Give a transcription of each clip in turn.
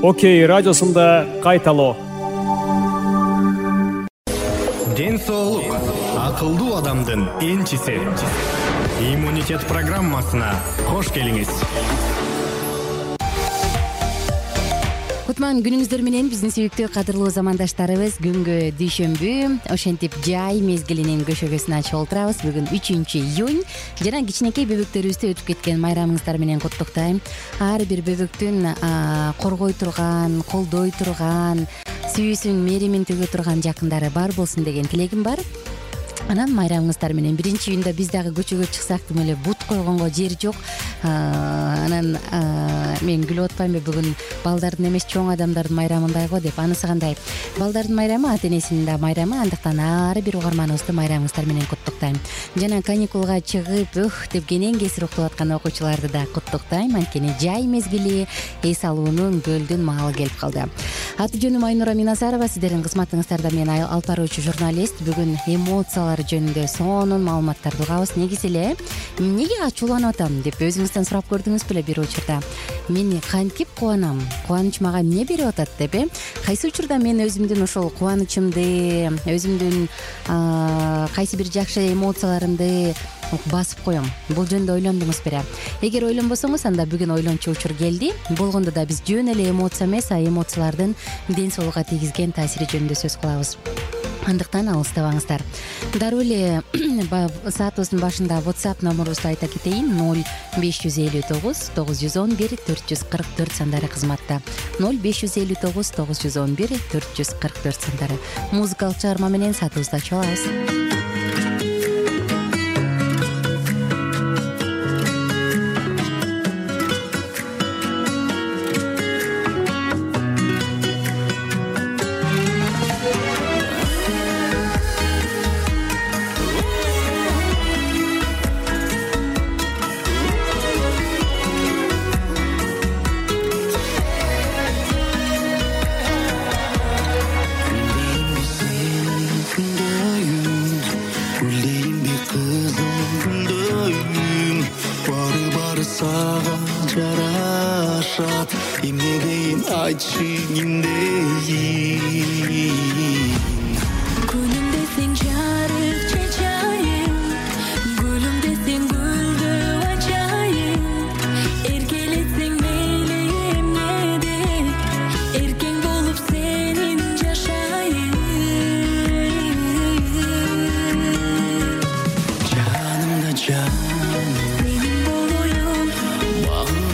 Окей радиосунда кайталоо. Ден соолук акылдуу адамдын энчиси. Иммунитет программасына кош келиңиз. Кутман күнүңүздөр менен биздин сүйүктүү кадырлуу замандаштарыбыз. Күнгө дүйшөмбү, ошентип жай мезгилинин көшөгөсүн ачып отурабыз. Бүгүн 3-июнь жана кичинекей бөбөктөрүбүздү өтүп кеткен майрамыңыздар менен куттуктайм. Ар бир бөбөктүн коргой турган, колдой турган, сүйүүсүн, мээримин төгө турган жакындары бар болсун деген тилегим бар. Анан майрамыңыздар менен 1-июнда биз дагы көчөгө чыксак тим эле бут койгонго жер жок. Анан мен күлүп атпаймынбы, бүгүн балдардын эмес чоң адамдардын майрамындай го деп. Анысы кандай? Балдардын майрамы ата энесинин да майрамы. Андыктан ар бир угарманыбызды майрамыңыздар менен куттуктайм. Жана каникулга чыгып деп кенен кесир уктап аткан окуучуларды да куттуктайм. Анткени жай мезгили, эс алуунун, көлдүн маалы келип калды. Аты жөнүм Айнура Миназарова, сиздердин кызматыңыздарда мен алып баруучу журналист. Бүгүн эмоциялар жөнүндө сонун маалыматтарды угабыз. Негизи эле эмнеге ачууланып атам деп өзүңүздөн сурап көрдүңүз беле бир учурда? Мен кантип кубанам? Кубаныч мага эмне берип атат деп Кайсы учурда мен өзүмдүн ошол кубанычымды, өзүмдүн кайсы бир жакшы эмоцияларымды басып коем. Бул жөнүндө ойлондуңуз беле? Эгер ойлонбосоңуз, анда бүгүн ойлончу учур келди. Болгондо да биз жөн эле эмоция эмес, эмоциялардын ден соолукка тийгизген таасири жөнүндө сөз кылабыз. Андыктан алыстабаңыздар. Дароо эле саатыбыздын башында WhatsApp номерубузду айта кетейин. 0559 911 444 сандары кызматта. 0559 911 444 сандары. Музыкалык чыгарма менен саатыбызды ачып алабыз. Canımdan canım, benim oyun, bağına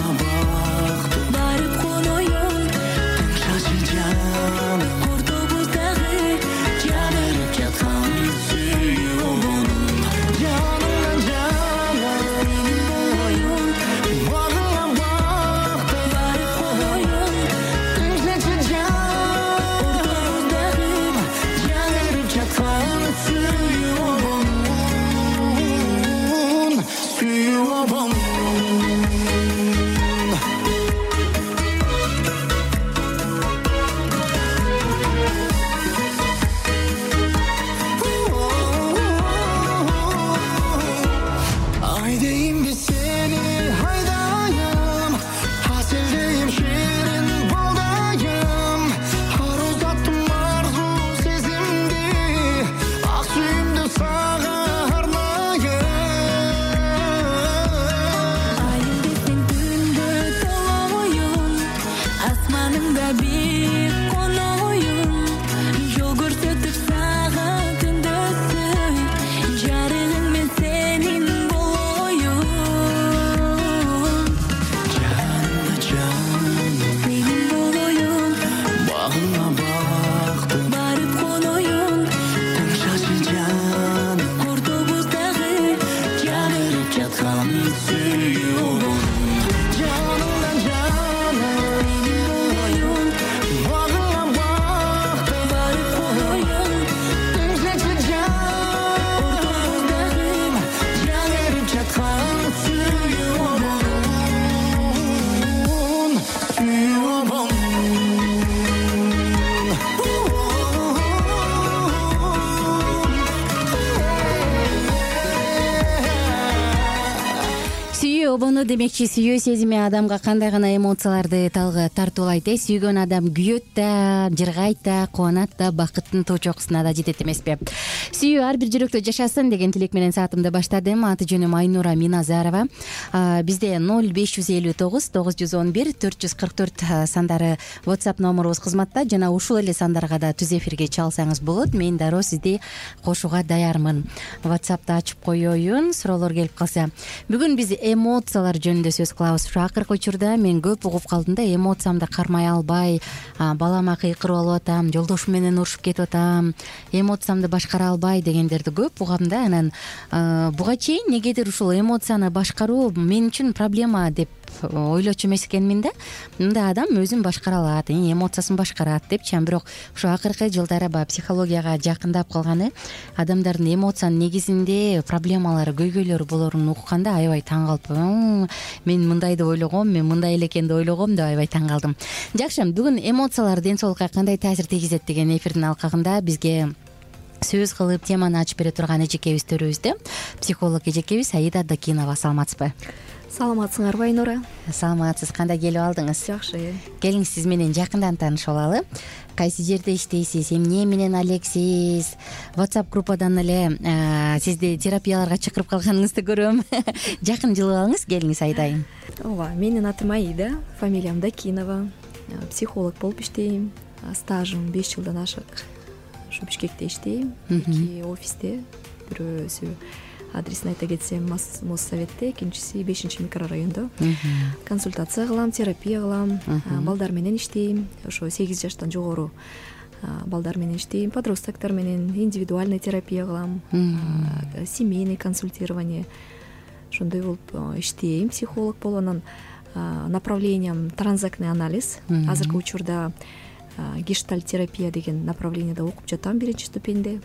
обону демекчи сүйүү сезими адамга кандай гана эмоцияларды тартуулайт сүйгөн адам күйөт да, жыргайт да, кубанат да, бакыттын тоо чокусуна да жетет эмеспи. Сүйүү ар бир жүрөктө жашасын деген тилек менен саатымды баштадым. Аты жөнүм Айнура Миназарова. Бизде 0559 911 444 сандары WhatsApp номерубуз кызматта, жана ушул эле сандарга да түз эфирге чалсаңыз болот. Мен дароо сизди кошууга даярмын. WhatsApp'ты ачып коеюн, суроолор келип калса. Бүгүн биз эмоциялар жөнүндө сөз кылабыз. Ушу акыркы учурда мен көп угуп калдым да, эмоциямды кармай албай, балама кыйкырып алып атам, жолдошум менен урушуп кетип атам, эмоциямды башкара албай дегендерди көп угам да. Анан буга чейин негедир ушул эмоцияны башкаруу мен үчүн проблема деп ойлочу эмес экенмин да. Мындай адам өзүн башкара алат, эмоциясын башкарат депчи. Бирок ушу акыркы жылдары психологияга жакындап калганы, адамдардын эмоциянын негизинде проблемалары, көйгөйлөрү болорун укканда аябай таң калып, мен мындай деп ойлогом, мен мындай эле экен деп ойлогом деп аябай таң калдым. Жакшы, бүгүн эмоциялар ден соолукка кандай таасир тийгизет деген эфирдин алкагында бизге сөз кылып теманы ачып бере турган эжекебиз төрүбүздө психолог эжекебиз Аида Дакинова. Саламатсызбы? Саламатсыңарбы Айнура? Саламатсыз. Кандай келип алдыңыз? Жакшы. Келиңиз, сиз менен жакындан таанышып алалы. Кайсы жерде иштейсиз, эмне менен алексиз? WhatsApp группадан эле сизди терапияларга чакырып калганыңызды көрөм. Жакын жылып алыңыз, келиңиз Айдайым. Ооба, менин атым Аида, фамилиям Дакинова. Психолог болуп иштейм. Стажым 5 жылдан ашык. Ушу Бишкекте иштейм. 2 офисте. Бирөөсү адресин айта кетсем Моссоветте, экинчиси 5 микрорайондо. Консультация кылам, терапия кылам, балдар менен иштейм. Ошо 8 жаштан жогору балдар менен иштейм, подростоктор менен индивидуальный терапия кылам, семейный консультирование. Ошондой болуп иштейм, психолог болуп. Анан направлением транзактный анализ. Азыркы учурда гештальт терапия деген направлениеде окуп жатам, 1 ступеньде.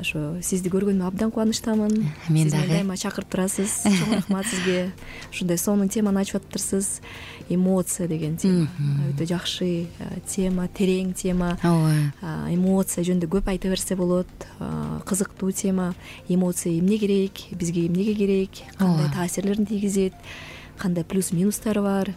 Ошо сизди көргөнүмө абдан кубанычтамын. Мен дагы. Сиз дайыма чакырып турасыз. Чоң рахмат сизге. Ушундай сонун теманы ачып атыптырсыз. Эмоция деген тема өтө жакшы тема, терең тема. Эмоция жөнүндө көп айта берсе болот. Кызыктуу тема. Эмоция эмне керек, бизге эмнеге керек, кандай таасирлерин тийгизет, кандай плюс минустары бар.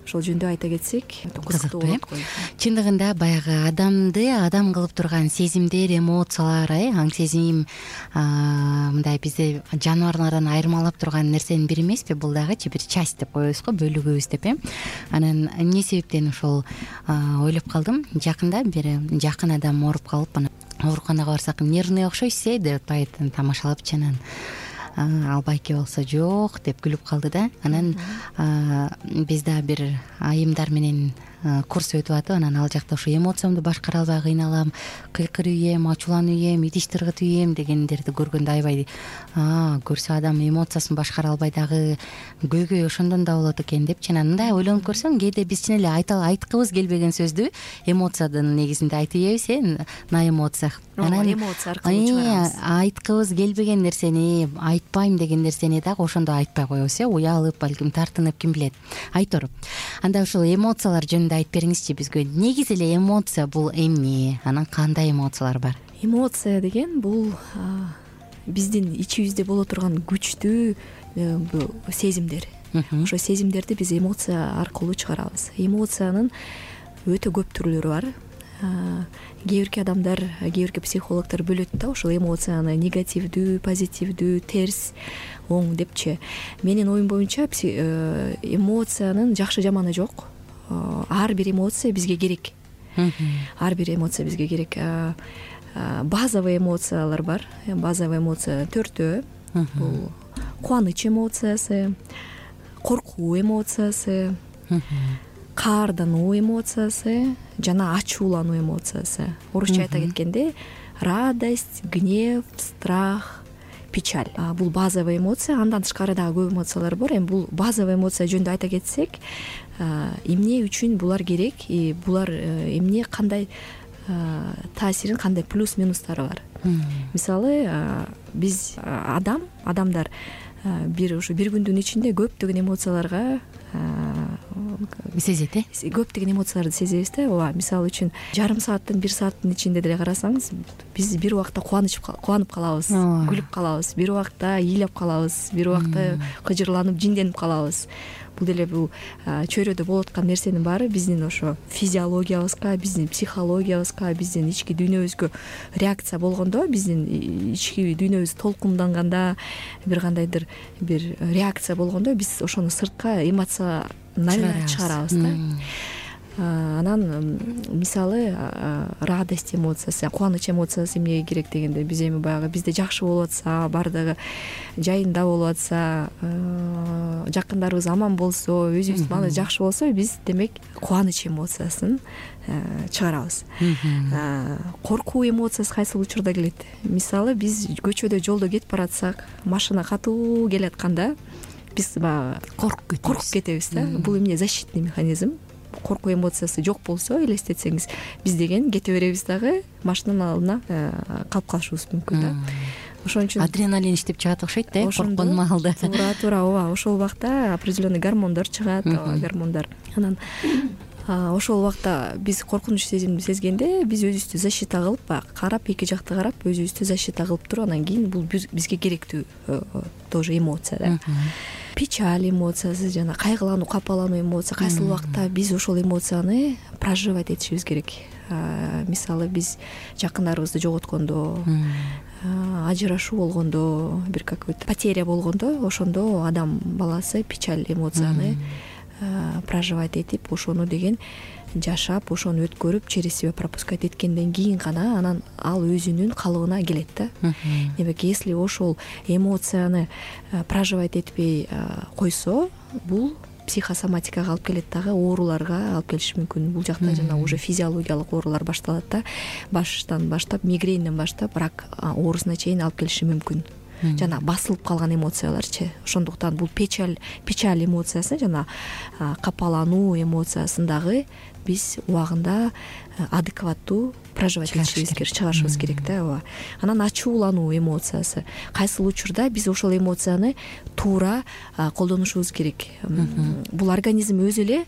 Ошол жөнүндө айта кетсек, кызыктуу болот го. Чындыгында баягы адамды адам кылып турган сезимдер, эмоциялар, аң сезим, мындай бизди жаныбарлардан айырмалап турган нерсенин бири эмеспи? Бул дагычы бир часть деп коебуз го, бөлүгүбүз деп. Анан эмне себептен ошол ойлоп калдым. Жакында бир жакын адам ооруп калып, анан ооруканага барсак, нервный окшойсуз деп атпайт, тамашалапчы. Анан ал байке болсо жок деп күлүп калды да. Анан биз да бир айымдар менен курс өтүп атып, анан ал жакта ошо эмоциямды башкара албай кыйналам, кыйкырып ийем, ачууланып ийем, идиш тыргытып ийем дегендерди көргөндө аябай көрсө адам эмоциясын башкара албай дагы көйгөй ошондон да болот экен депчи. Анан мындай ойлонуп көрсөм, кээде биз чын эле айткыбыз келбеген сөздү эмоциянын негизинде айтып ийебиз, на эмоциях. Анан эмоция аркылуу чыгарабыз. Айткыбыз келбеген нерсени, айтпайм деген нерсени дагы ошондо айтпай коебуз, уялып, балким тартынып, ким билет. Айтор. Анда ушул эмоциялар жөнүндө айтып бериңизчи бизге. Негизи эле эмоция бул эмне? Анан кандай эмоциялар бар? Эмоция деген бул биздин ичибизде боло турган күчтүү сезимдер. Ошо сезимдерди биз эмоция аркылуу чыгарабыз. Эмоциянын өтө көп түрлөрү бар. Кээ бирки адамдар, кээ бирки психологдор бөлөт да ошол эмоцияны негативдүү, позитивдүү, терс, оң депчи. Менин оюм боюнча эмоциянын жакшы жаманы жок. Ар бир эмоция бизге керек. Ар бир эмоция бизге керек. Базовый эмоциялар бар. Базовый эмоция 4төө. Бул кубаныч эмоциясы, коркуу эмоциясы, каардануу эмоциясы жана ачуулануу эмоциясы. Орусча айта кеткенде радость, гнев, страх, печаль. Бул базовый эмоция. Андан тышкары дагы көп эмоциялар бар. Эми бул базовый эмоция жөнүндө айта кетсек, эмне үчүн булар керек, булар эмне, кандай таасирин, кандай плюс минустары бар. Мисалы, биз адамдар бир күндүн ичинде көптөгөн эмоцияларга сезет көптөгөн эмоцияларды сезебиз да. ооба, мисалы үчүн жарым сааттын 1 сааттын ичинде деле карасаңыз, биз бир убакта кубанып калабыз, күлүп калабыз, бир убакта ыйлап калабыз, бир убакта кыжырланып жинденип калабыз. Бул деле бул чөйрөдө болуп аткан нерсенин баары биздин ошо физиологиябызга, биздин психологиябызга, биздин ички дүйнөбүзгө реакция болгондо, биздин ички дүйнөбүз толкунданганда, бир кандайдыр бир реакция болгондо биз ошону сыртка эмоционально чыгарабыз да. Анан мисалы радость эмоциясы, кубаныч эмоциясы эмнеге керек дегенде, биз эми баягы бизде жакшы болуп атса, баардыгы жайында болуп атса, жакындарыбыз аман болсо, өзүбүздүн маалыбыз жакшы болсо, биз демек кубаныч эмоциясын чыгарабыз. Коркуу эмоциясы кайсыл учурда келет? Мисалы биз көчөдө жолдо кетип баратсак, машина катуу келатканда биз баягы коркуп кетебиз да. Бул эмне? Защитный механизм. Коркуу эмоциясы жок болсо, элестетсеңиз, биз деген кете беребиз дагы, машинанын алдына калып калышыбыз мүмкүн да. Ошон үчүн адреналин иштеп чыгат окшойт да, корккон маалда. Туура, ооба, ошол убакта определенный гормондор чыгат, гормондор. Анан ошол убакта биз коркунуч сезимди сезгенде, биз өзүбүздү защита кылып, баягы карап, эки жакты карап, өзүбүздү защита кылып туруп, анан кийин бул бизге керектүү тоже эмоция да. Печаль эмоциясы, жана кайгылануу, капалануу эмоция, кайсыл убакта биз ошол эмоцияны проживать этишибиз керек. Мисалы биз жакындарыбызды жоготкондо, ажырашуу болгондо, бир какой-то потеря болгондо, ошондо адам баласы печаль эмоцияны проживать этип, ошону деген жашап, ошону өткөрүп, через себя пропускать эткенден кийин гана анан ал өзүнүн калыбына келет да. Демек, если ошол эмоцияны проживать этпей койсо, бул психосоматикага алып келет дагы, ооруларга алып келиши мүмкүн. Бул жакта жана уже физиологиялык оорулар башталат да. Баштан баштап, мигренден баштап рак оорусуна чейин алып келиши мүмкүн. Жана басылып калган эмоцияларчы. Ошондуктан бул печаль эмоциясы жана капалануу эмоциясын дагы биз убагында адекваттуу проживать этишибиз керек, чыгарышыбыз керек да. Анан ачуулануу эмоциясы. Кайсыл учурда биз ошол эмоцияны туура колдонушубуз керек. Бул организм өзү эле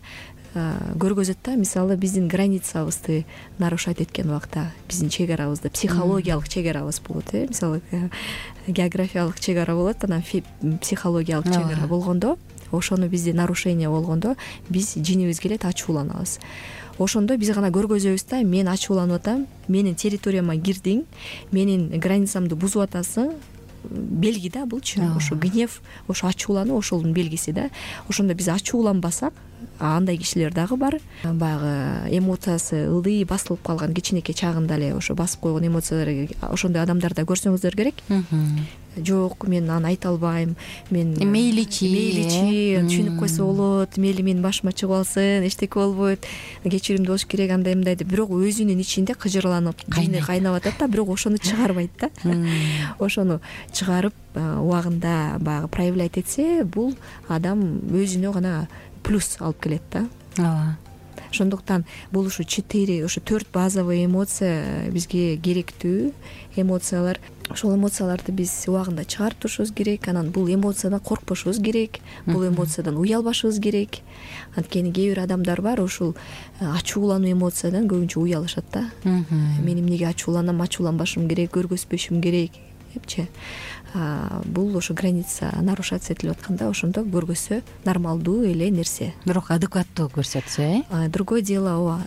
көргөзөт да. Мисалы биздин границабызды нарушать эткен убакта, биздин чек арабызды, психологиялык чек арабыз болот. Мисалы географиялык чек ара болот, анан психологиялык чек ара болгондо, ошону бизде нарушение болгондо, биз жинибиз келет, ачууланабыз. Ошондо биз гана көргөзөбүз да, мен ачууланып атам, менин территорияма кирдиң, менин границамды бузуп атасың. Белги да булчу. Ошо гнев, ошо ачуулануу ошонун белгиси да. Ошондо биз ачууланбасак, андай кишилер дагы бар. Баягы эмоциясы ылдый басылып калган, кичинекей чагында эле ошо басып койгон эмоциялар, ошондой адамдарда көрсөңүздөр керек. Жок, мен аны айта албайм, мен мейличи түшүнүп койсо болот, мейли менин башыма чыгып алсын, эчтеке болбойт, кечиримдүү болуш керек, андай мындай деп, бирок өзүнүн ичинде кыжырланып, кайнап атат да, бирок ошону чыгарбайт да. Ошону чыгарып убагында баягы проявлять этсе, бул адам өзүнө гана плюс алып келет да. Ооба. Ошондуктан бул ушу 4 базовый эмоция бизге керектүү эмоциялар. Ошол эмоцияларды биз убагында чыгарып турушубуз керек. Анан бул эмоциядан коркпошубуз керек, бул эмоциядан уялбашыбыз керек. Анткени кээ бир адамдар бар, ушул ачуулануу эмоциядан көбүнчө уялышат да. Мен эмнеге ачууланам, ачууланбашым керек, көргөзбөшүм керек депчи. Бул ошо граница нарушаться этилип атканда, ошондо көргөзсө нормалдуу эле нерсе. Бирок адекваттуу көрсөтсө, другое дело,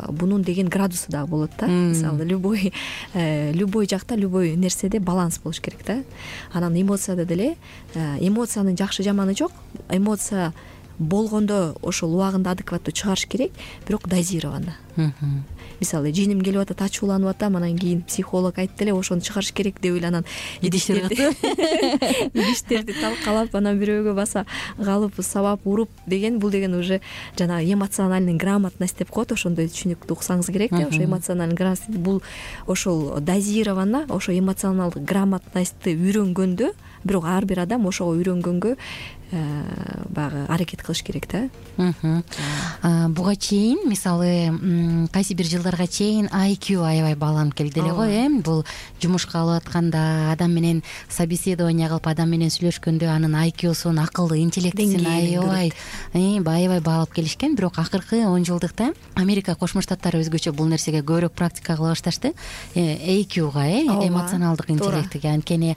бунун деген градусу дагы болот да. Мисалы, любой жакта, любой нерседе баланс болуш керек да. Анан эмоцияда деле эмоциянын жакшы жаманы жок. Эмоция болгондо ошол убагында адекваттуу чыгарыш керек, бирок дозированно. Мисалы, жиним келип атат, ачууланып атам, анан кийин психолог айтты эле, ошону чыгарыш керек деп эле анан идиштерди талкалап, анан бирөөгө баса калып, сабап, уруп деген, бул деген уже жана эмоциональный грамотность деп коет, ошондой түшүнүктү уксаңыз керек да. Ошо эмоциональный грамотность бул ошол дозированно, ошо эмоционалдык грамотностьты үйрөнгөндө, бирок ар бир адам ошого үйрөнгөнгө баягы аракет кылыш керек да. Буга чейин мисалы кайсы бир жылдарга чейин IQ аябай бааланып келди эле го. Бул жумушка алып атканда, адам менен собеседование кылып, адам менен сүйлөшкөндө анын IQ-сун, акылды интеллектисин аябай баалап келишкен. Бирок акыркы 10 жылдыкта Америка Кошмо Штаттары өзгөчө бул нерсеге көбүрөөк практика кыла башташты. IQ-га, эмоционалдык интеллектиге. Анткени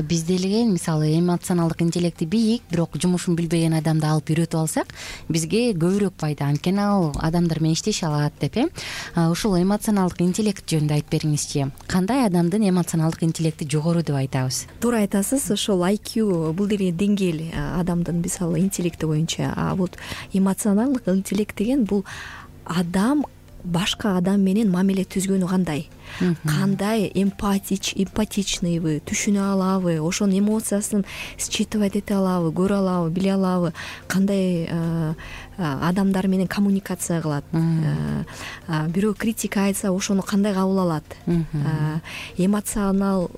бизде эле мисалы эмоционалдык интеллекти бийик, бирок жумушун билбеген адамды алып үйрөтүп алсак, бизге көбүрөөк пайда. Анткени ал адамдар менен иштеше алат деп. Ушул эмоционалдык интеллект жөнүндө айтып бериңизчи. Кандай адамдын эмоционалдык интеллекти жогору деп айтабыз? Туура айтасыз. Ошол IQ бул деген деңгээл адамдын мисалы интеллекти боюнча. Бул эмоционалдык интеллект деген бул адам башка адам менен мамиле түзгөнү кандай эмпатичныйбы, түшүнө алабы, ошонун эмоциясын считывать эте алабы, көрө алабы, биле алабы, кандай адамдар менен коммуникация кылат, бирөө критика айтса ошону кандай кабыл алат, эмоционалы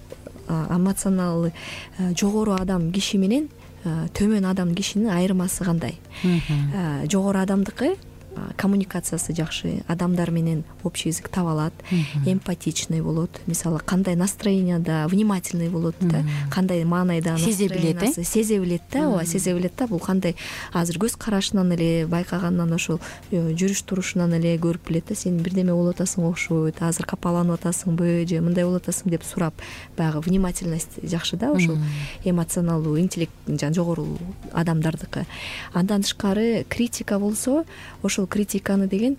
жогору адам киши менен төмөн адам кишинин айырмасы кандай? Жогору адамдыкы коммуникациясы жакшы, адамдар менен общий язык таба алат, эмпатичный болот, мисалы кандай настроенияда внимательный болот да, кандай маанайда сезе билет да, ооба, сезе билет да. Бул кандай азыр көз карашынан эле байкагандан, ошол жүрүш турушунан эле көрүп билет да, сен бирдеме болуп атасың окшойт, азыр капаланып атасыңбы же мындай болуп атасың деп сурап, баягы внимательность жакшы да, ошол эмоционалдуу интеллект жогору адамдардыкы. Андан тышкары критика болсо, ошол критиканы деген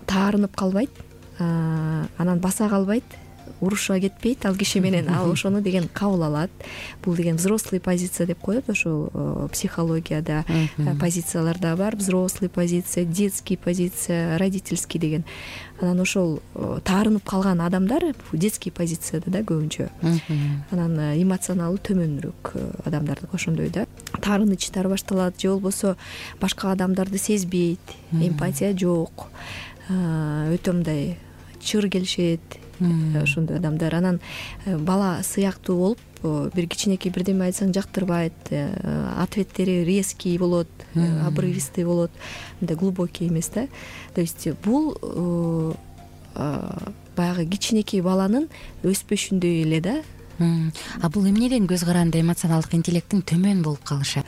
таарынып калбайт, анан баса калбайт, уруша кетпейт ал киши менен, ал ошону деген кабыл алат. Бул деген взрослый позиция деп коет, ошол психологияда позицияларда бар. Взрослый позиция, детский позиция, родительский деген. Анан ошол таарынып калган адамдар детский позицияда да көбүнчө. Анан эмоционалы төмөнүрөөк адамдардык ошондой да. Таарынычтар башталат, же болбосо башка адамдарды сезбейт, эмпатия жок, өтө мындай чыр келишет, ошондой адамдар. Анан бала сыяктуу болуп, бир кичинекей бирдеме айтсаң жактырбайт, ответтери резкий болот, обрывистый болот, мындай глубокий эмес да. То есть бул баягы кичинекей баланын өспөшүндөй эле да. Бул эмнеден көз каранды эмоционалдык интеллектин төмөн болуп калышы?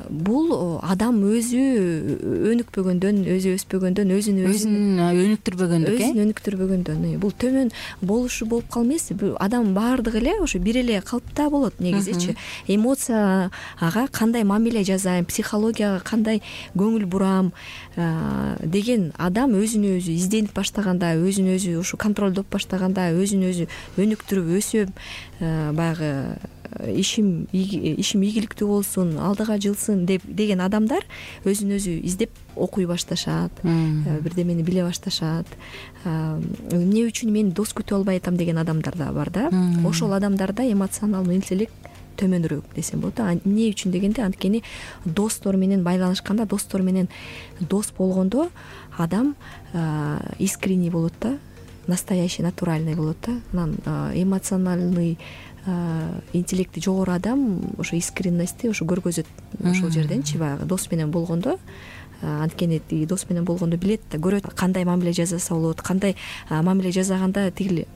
Бул адам өзү өнүкпөгөндөн, өзү өспөгөндөн, өзүн өнүктүрбөгөндөн, бул төмөн болушу болуп калмайс. Адам баардыгы эле ошо бир эле калыпта болот негизичи. Эмоцияга кандай мамиле жасайм, психологияга кандай көңүл бурам деген адам өзүн өзү изденип баштаганда, өзүн өзү ушу контролдоп баштаганда, өзүн өзү өнүктүрүп өсөм, баягы ишим ийгиликтүү болсун, алдыга жылсын деген адамдар өзүн өзү издеп окуй башташат, бирдемени биле башташат. Эмне үчүн мен дос күтүп албай атам деген адамдар да бар да. Ошол адамдарда эмоционалдык интеллект төмөнүрөөк десем болот. Эмне үчүн дегенде, анткени достор менен байланышканда, достор менен дос болгондо адам искренний болот да, настоящий, натуральный болот да. Анан эмоциональный интеллекти жогору адам ошо искренностьти ошо көргөзөт ошол жерденчи, баягы дос менен болгондо. Анткени дос менен болгондо билет да, көрөт кандай мамиле жасаса болот, кандай мамиле жасаганда тигил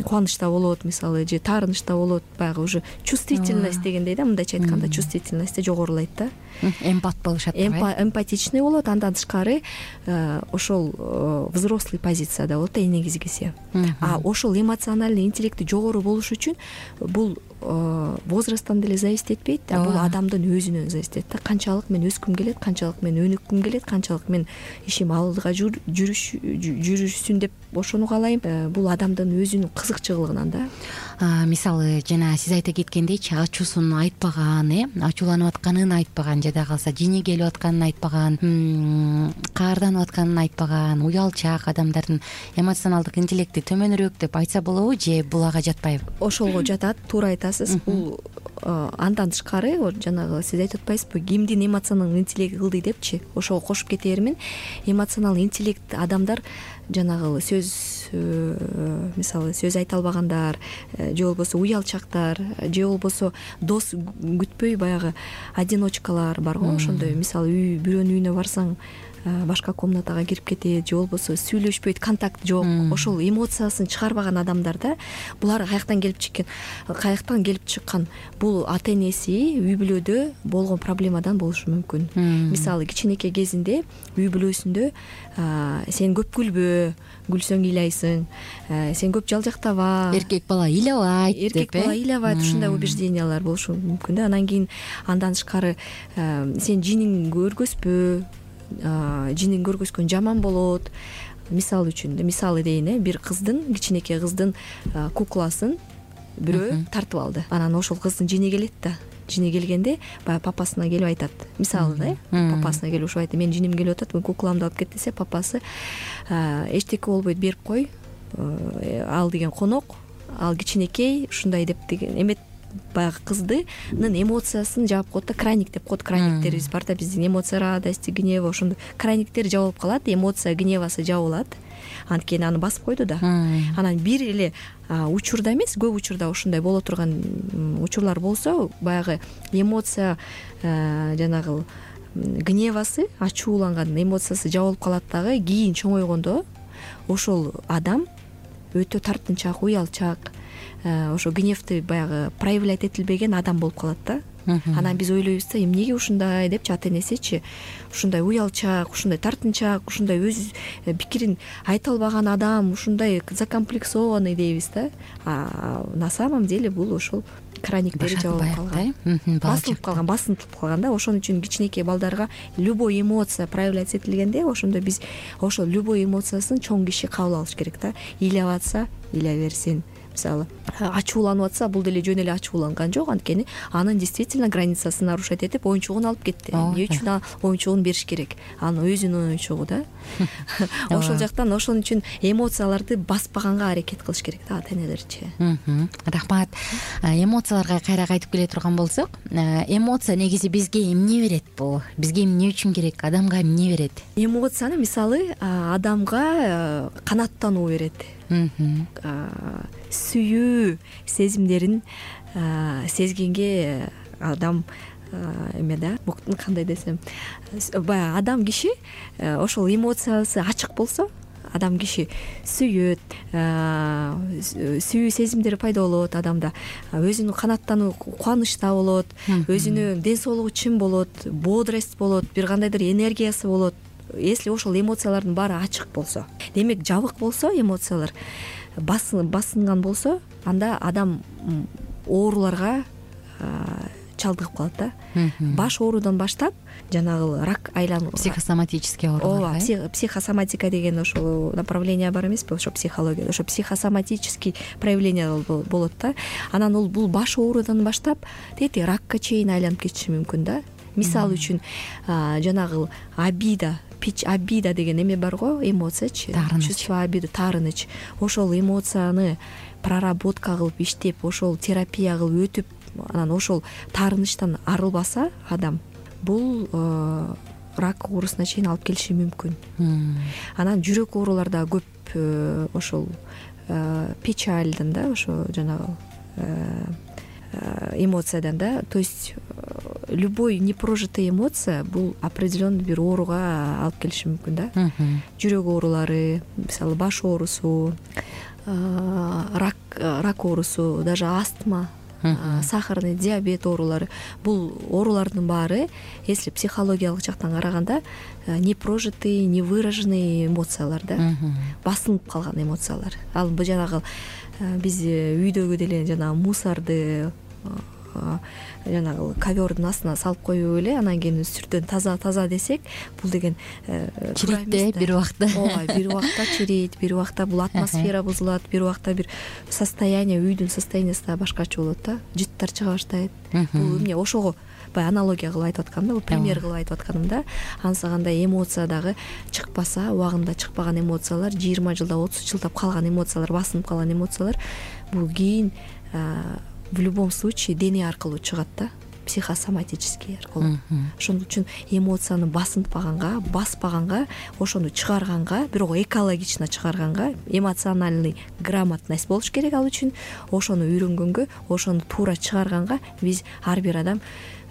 кубанычта болот, мисалы, же таарынычта болот. Баягы уже чувствительность дегендей да, мындайча айтканда чувствительность жогорулайт да. Эмпат болушат, эмпатичный болот. Андан тышкары ошол взрослый позицияда болот да, негизгиси. Ошол эмоциональный интеллекти жогору болуш үчүн бул возрасттан деле зависит этпейт, бул адамдын өзүнөн зависит этет да. Канчалык мен өскүм келет, канчалык мен өнүккүм келет, канчалык мен ишим алдыга жүрүшсүн деп ошону каалайм. Бул адамдын өзүнүн кызыкчылыгынан да. Мисалы, жана сиз айта кеткендейчи, ачуусун айтпаган, ачууланып атканын айтпаган, жада калса жини келип атканын айтпаган, каарданып атканын айтпаган, уялчаак адамдардын эмоционалдык интеллекти төмөнүрөөк деп айтса болобу, же бул ага жатпайбы? Ошолго жатат, туура айтасыз. Бул андан тышкары жанагы сиз айтып атпайсызбы, кимдин эмоционалдык интеллекти ылдый депчи, ошого кошуп кете бермин. Эмоционалдык интеллект адамдар жанагы мисалы сөз айта албагандар, же болбосо уялчактар, же болбосо дос күтпөй баягы одиночкалар барго, ошондой. Мисалы бирөөнүн үйүнө барсаң башка комнатага кирип кетет, же болбосо сүйлөшпөйт, контакт жок. Ошол эмоциясын чыгарбаган адамдарда булар каяктан келип чыккан? Бул ата-энеси үй бүлөдө болгон проблемадан болушу мүмкүн. Мисалы кичинекей кезинде үй бүлөсүндө сен көп күлбө, күлсөң ыйлайсың, сен көп жалжактаба, эркек бала ыйлабайт, ушундай убеждениялар болушу мүмкүн да. Анан кийин андан тышкары сен жиниң көргөзбө, жинин көргөзгөн жаман болот. Мисалы үчүн, мисалы дейин, бир кичинекей кыздын кукласын бирөө тартып алды. Анан ошол кыздын жини келет да. Жини келгенде баягы папасына келип айтат. Мисалы да, папасына келип ушуп айтат: "Менин жиним келип атат, мен кукламды алып кет" десе, папасы: "Эчтеке болбойт, берип кой. Ал деген конок, ал кичинекей", ушундай деп деген эмет баягы кыздынын эмоциясын жаап коет да. Крайник деп коет. Крайниктерибиз бар да биздин: эмоция радости, гнева, ошондой крайниктер жабылып калат. Эмоция, гневасы жабылат. Анткени аны басып койду да. Анан бир эле учурда эмес, көп учурда ушундай боло турган учурлар болсо, баягы эмоция жанагы гневасы, ачууланган эмоциясы жабылып калат дагы. Кийин чоңойгондо ошол адам өтө тартынчаак, уялчаак, ошо гневди баягы проявлять этилбеген адам болуп калат да. Анан биз ойлойбуз да, эмнеге ушундай депчи, ата-энесичи ушундай уялчаак, ушундай тартынчаак, ушундай өз пикирин айта албаган адам, ушундай закомплексованный дейбиз да. На самом деле бул ошол краниктери жабылып калган, басынтылып калган да. Ошон үчүн кичинекей балдарга любой эмоция проявляться этилгенде, ошондо биз ошол любой эмоциясын чоң киши кабыл алыш керек да. Ыйлап атса ыйлай берсин. Мисалы, ачууланып атса, бул деле жөн эле ачууланган жок, анткени анын действительно границасын нарушать этип оюнчугун алып кетти. Эмне үчүн оюнчугун бериш керек? Анын өзүнүн оюнчугу да. Ошол жактан ошон үчүн эмоцияларды баспаганга аракет кылыш керек да ата-энелерчи. Рахмат. Эмоцияларга кайра кайтып келе турган болсок, эмоция негизи бизге эмне берет бул? Бизге эмне үчүн керек? Адамга эмне берет? Эмоцияны мисалы адамга канааттануу берет. Сүйүү сезимдерин сезгенге адам эме да, кандай десем, баягы адам киши ошол эмоциясы ачык болсо, адам киши сүйөт, сүйүү сезимдери пайда болот адамда, өзүнүн канааттануу, кубанычта болот, өзүнүн ден соолугу чын болот, бодрость болот, бир кандайдыр энергиясы болот. Если ошол эмоциялардын баары ачык болсо, демек жабык болсо, эмоциялар басынган болсо, анда адам ооруларга чалдыгып калат да. Баш оорудан баштап жанагы рак айлануу, психосоматический оорулар. Психосоматика деген ошол направление бар эмеспи, ошо психологияда. Ошо психосоматический проявление болот да. Анан бул баш оорудан баштап тети ракка чейин айланып кетиши мүмкүн да. Мисалы үчүн жанагы обида деген эме бар го, эмоциячы, чувство обиды, таарыныч. Ошол эмоцияны проработка кылып иштеп, ошол терапия кылып өтүп, анан ошол таарынычтан арылбаса адам, бул рак оорусуна чейин алып келиши мүмкүн. Анан жүрөк оорулар да көп ошол печальдан да, ошо жанагы эмоциядан да. То есть любой непрожитая эмоция бул определенный бир ооруга алып келиши мүмкүн да. Жүрөк оорулары, мисалы баш оорусу, рак оорусу, даже астма, сахарный диабет оорулары, бул оорулардын баары, если психологиялык жактан караганда, непрожитый, невыраженный эмоциялар да, басылып калган эмоциялар. Ал бул жанагы биз үйдөгү деле жанагы мусорду жанагы ковердун астына салып коюп эле, анан кийин сүртөн таза десек, бул деген чирийт бир убакта. Ооба, бир убакта чирийт, бир убакта бул атмосфера бузулат, бир убакта бир состояние, үйдүн состояниясы да башкача болот да, жыттар чыга баштайт. Бул эмне, ошого баягы аналогия кылып айтып аткам да, бул пример кылып айтып атканым да. Анысы кандай эмоция дагы чыкпаса, убагында чыкпаган эмоциялар, 20 жылда, 30 жылдап калган эмоциялар, басынып калган эмоциялар, бул кийин в любом случае дене аркылуу чыгат да, психосоматический аркылуу. Ошон үчүн эмоцияны баспаганга, ошону чыгарганга, бирок экологично чыгарганга эмоциональный грамотность болуш керек ал үчүн. Ошону үйрөнгөнгө, ошону туура чыгарганга биз ар бир адам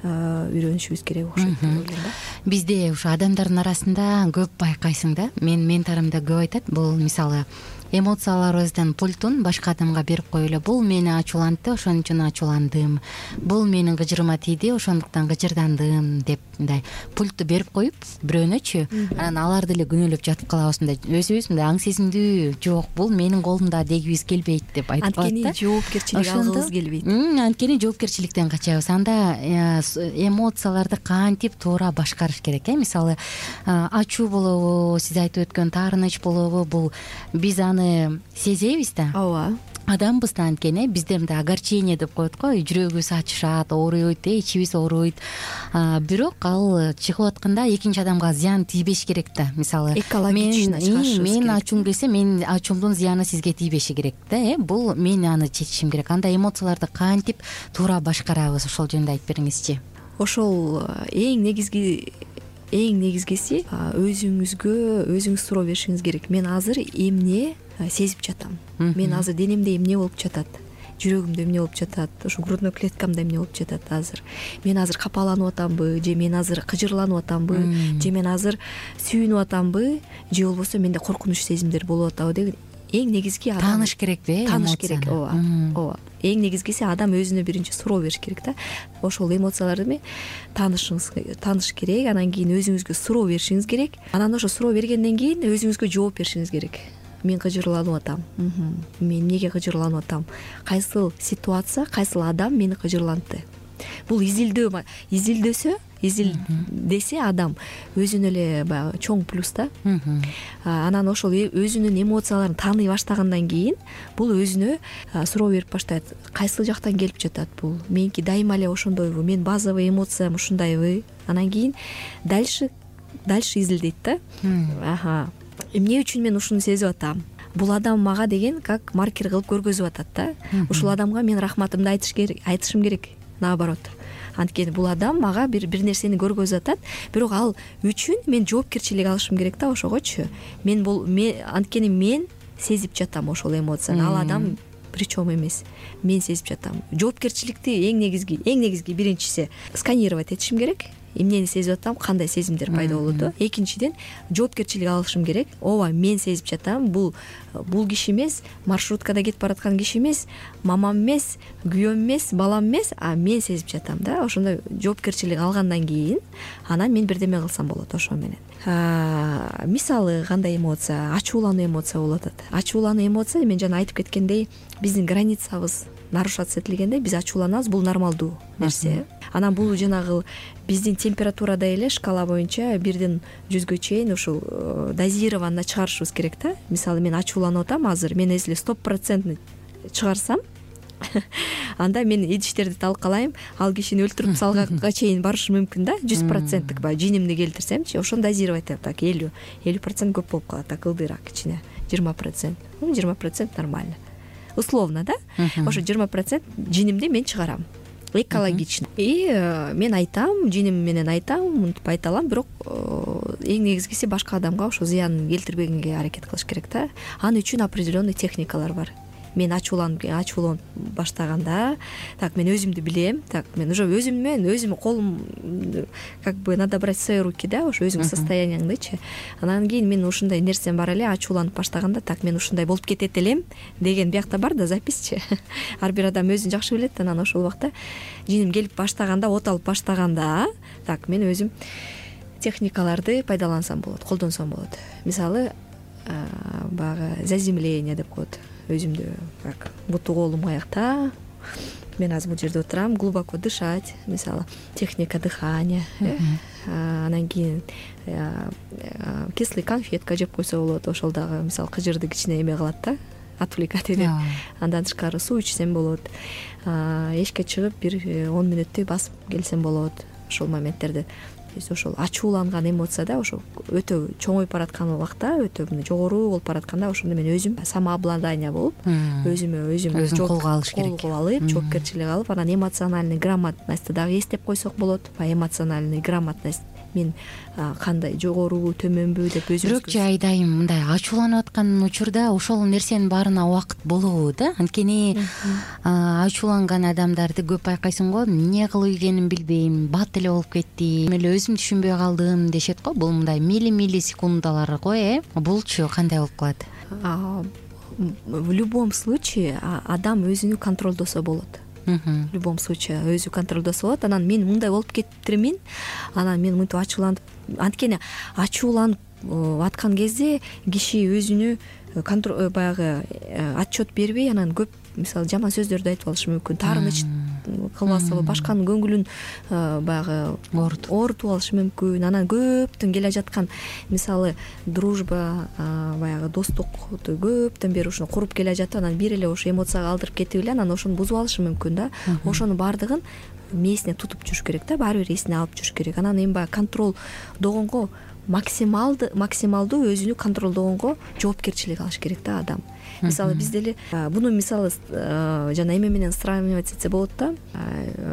үйрөнүшүбүз керек окшойт деп ойлойм да. Бизде ушу адамдардын арасында көп байкайсың да, мен ментарым да көп айтат, бул мисалы эмоцияларыбыздын пультун башка адамга берип коюп эле, бул мени ачуулантты, ошон үчүн ачууландым, бул менин кыжырыма тийди, ошондуктан кыжырдандым деп мындай пультту берип коюп бирөөнөчү, анан аларды эле күнөөлөп жатып калабыз, мындай өзүбүз мындай аң сезимдүү, жок бул менин колумда дегибиз келбейт деп айтып калат да. Анткени жоопкерчилик алгыбыз келбейт. Анткени жоопкерчиликтен качабыз. Анда эмоцияларды кантип туура башкарыш керек, мисалы ачуу болобу, сиз айтып өткөн таарыныч болобу, бул биз аны сезебиз да. Ооба. Адамбыз да анткени, бизде мындай огорчение деп коет го, жүрөгүбүз ачышат, ооруйт, ичибиз ооруйт. Бирок ал чыгып атканда экинчи адамга зыян тийбеш керек да. Мисалы мен ачуум келсе, менин ачуумдун зыяны сизге тийбеши керек да. Бул мен аны чечишим керек. Анда эмоцияларды кантип туура башкарабыз, ошол жөнүндө айтып бериңизчи. Ошол эң негизгиси өзүңүз суроо беришиңиз керек. Мен азыр эмне сезип жатам? Мен азыр денемде эмне болуп жатат? Жүрөгүмдө эмне болуп жатат? Ушу грудной клеткамда эмне болуп жатат азыр? Мен азыр капаланып атамбы, же мен азыр кыжырланып атамбы, же мен азыр сүйүнүп атамбы, же болбосо менде коркунуч сезимдер болуп атабы деген эң негизги тааныш керекпи? Тааныш керек. Ооба. Эң негизгиси адам өзүнө биринчи суроо бериш керек да. Ошол эмоцияларды тааныш керек, анан кийин өзүңүзгө суроо беришиңиз керек. Анан ошо суроо бергенден кийин өзүңүзгө жооп беришиңиз керек. Мен кыжырланып атам. Мен эмнеге кыжырланып атам? Кайсыл ситуация, кайсыл адам мени кыжырлантты? Бул изилдесе адам өзүнө эле баягы чоң плюс да. Анан ошол өзүнүн эмоцияларын тааный баштагандан кийин бул өзүнө суроо берип баштайт. Кайсыл жактан келип жатат бул? Меники дайыма эле ошондойбу? Мен базовый эмоциям ушундайбы? Анан кийин дальше изилдейт да. Эмне үчүн мен ушуну сезип атам? Бул адам мага деген как маркер кылып көргөзүп атат да. Ушул адамга мен рахматымды айтышым керек. Наоборот. Анткени бул адам мага бир нерсени көргөзүп атат, бирок ал үчүн мен жоопкерчилик алышым керек да ошогочу. Анткени мен сезип жатам ошол эмоцияны. Ал адам причем эмес. Мен сезип жатам. Жоопкерчиликти эң негизги биринчиси сканировать этишим керек. Эмнени сезип атам, кандай сезимдер пайда болду. Экинчиден жоопкерчилик алышым керек. Ооба, мен сезип жатам. Бул киши эмес, маршруткада кетип бараткан киши эмес, мамам эмес, күйөөм эмес, балам эмес, а мен сезип жатам да. Ошондой жоопкерчилик алгандан кийин анан мен бирдеме кылсам болот ошо менен. Мисалы кандай эмоция? Ачуулануу эмоция болуп атат. Ачуулануу эмоция, мен жана айтып кеткендей, биздин границабыз нарушаться этилгенде биз ачууланабыз, бул нормалдуу нерсе. Анан бул жанагы биздин температурада эле шкала боюнча 1-ден 100гө чейин ушул дозированно чыгарышыбыз керек да. Мисалы мен ачууланып атам азыр, мен если 100% чыгарсам, анда мен идиштерди талкалайм, ал кишини өлтүрүп салганга чейин барышы мүмкүн да. 100%тык баягы жинимди келтирсемчи, ошону дозировать этем. Так 50% көп болуп калат, так ылдыйраак кичине 20%. 20% нормально. Условно, да? Ошо 20% жинимди мен чыгарам. Экологично. И мен айтам, жиним менен айтам, мынтип айта алам, бирок эң негизгиси башка адамга ошо зыян келтирбегенге аракет кылыш керек да. Аны үчүн определенный техникалар бар. Мен ачууланып баштаганда, так мен өзүмдү билем, так мен уже өзүм колум как бы надо брать в свои руки, да, ошо өзүңдүн состоянияңдычы. Анан кийин мен ушундай нерсем бар эле, ачууланып баштаганда, так мен ушундай болуп кетет элем деген биякта бар да записчи. Ар бир адам өзүн жакшы билет, анан ошол убакта жиним келип баштаганда, от алып баштаганда, так мен өзүм техникаларды пайдалансам болот, колдонсом болот. Мисалы, баягы заземление деп коет. Өзүмдү как буту колум аякта, мен азыр бул жерде отурам, глубоко дышать, мисалы техника дыхания, анан кийин кислый конфетка жеп койсо болот, ошол дагы мисалы кыжырды кичине эме кылат да, отвлекать этет. Андан тышкары суу ичсем болот, эшикке чыгып бир 10 мүнөттөй басып келсем болот ошол моменттерде. то есть ошол ачууланган эмоцияда ошо өтө чоңоюп бараткан убакта, өтө жогору болуп баратканда ошондо мен өзүм самообладание болуп, өзүм колго алыш керек, колго алып, жоопкерчилик алып, анан эмоциональный грамотностьты дагы эстеп койсок болот. Эмоциональный грамотность мен кандай, жогорубу, төмөнбү деп өзүбүз. Бирок айдайым мындай ачууланып аткан учурда ошол нерсенин баарына убакыт болобу да? Анткени ачууланган адамдарды көп байкайсың го, эмне кылып ийгенин билбейм, бат эле болуп кеттим, эле өзүм түшүнбөй калдым дешет го. Бул мындай милли секундалар го, булчу кандай болуп калат? В любом случае адам өзүнү контролдосо болот. В любом случае өзү контролдосо болот. Анан мен мындай болуп кетиптирмин, анан мен мынтип ачууланып, анткени ачууланып аткан кезде киши өзүнө баягы отчет бербей, анан көп мисалы жаман сөздөрдү айтып алышы мүмкүн, таарыныч кылбасы, башканын көңүлүн баягы оорутуп алышы мүмкүн. Анан көптөн келе жаткан мисалы дружба, баягы достукту көптөн бери ушуну куруп келе жатып, анан бир эле ошо эмоцияга алдырып кетип эле анан ошону бузуп алышы мүмкүн да. Ошонун баардыгын мээсине тутуп жүрүш керек да, баары бир эсине алып жүрүш керек. Анан эми баягы контролдогонго максималдуу өзүнү контролдогонго жоопкерчилик алыш керек да адам. Мисалы биз деле буну мисалы жана эме менен сравнивать этсе болот да.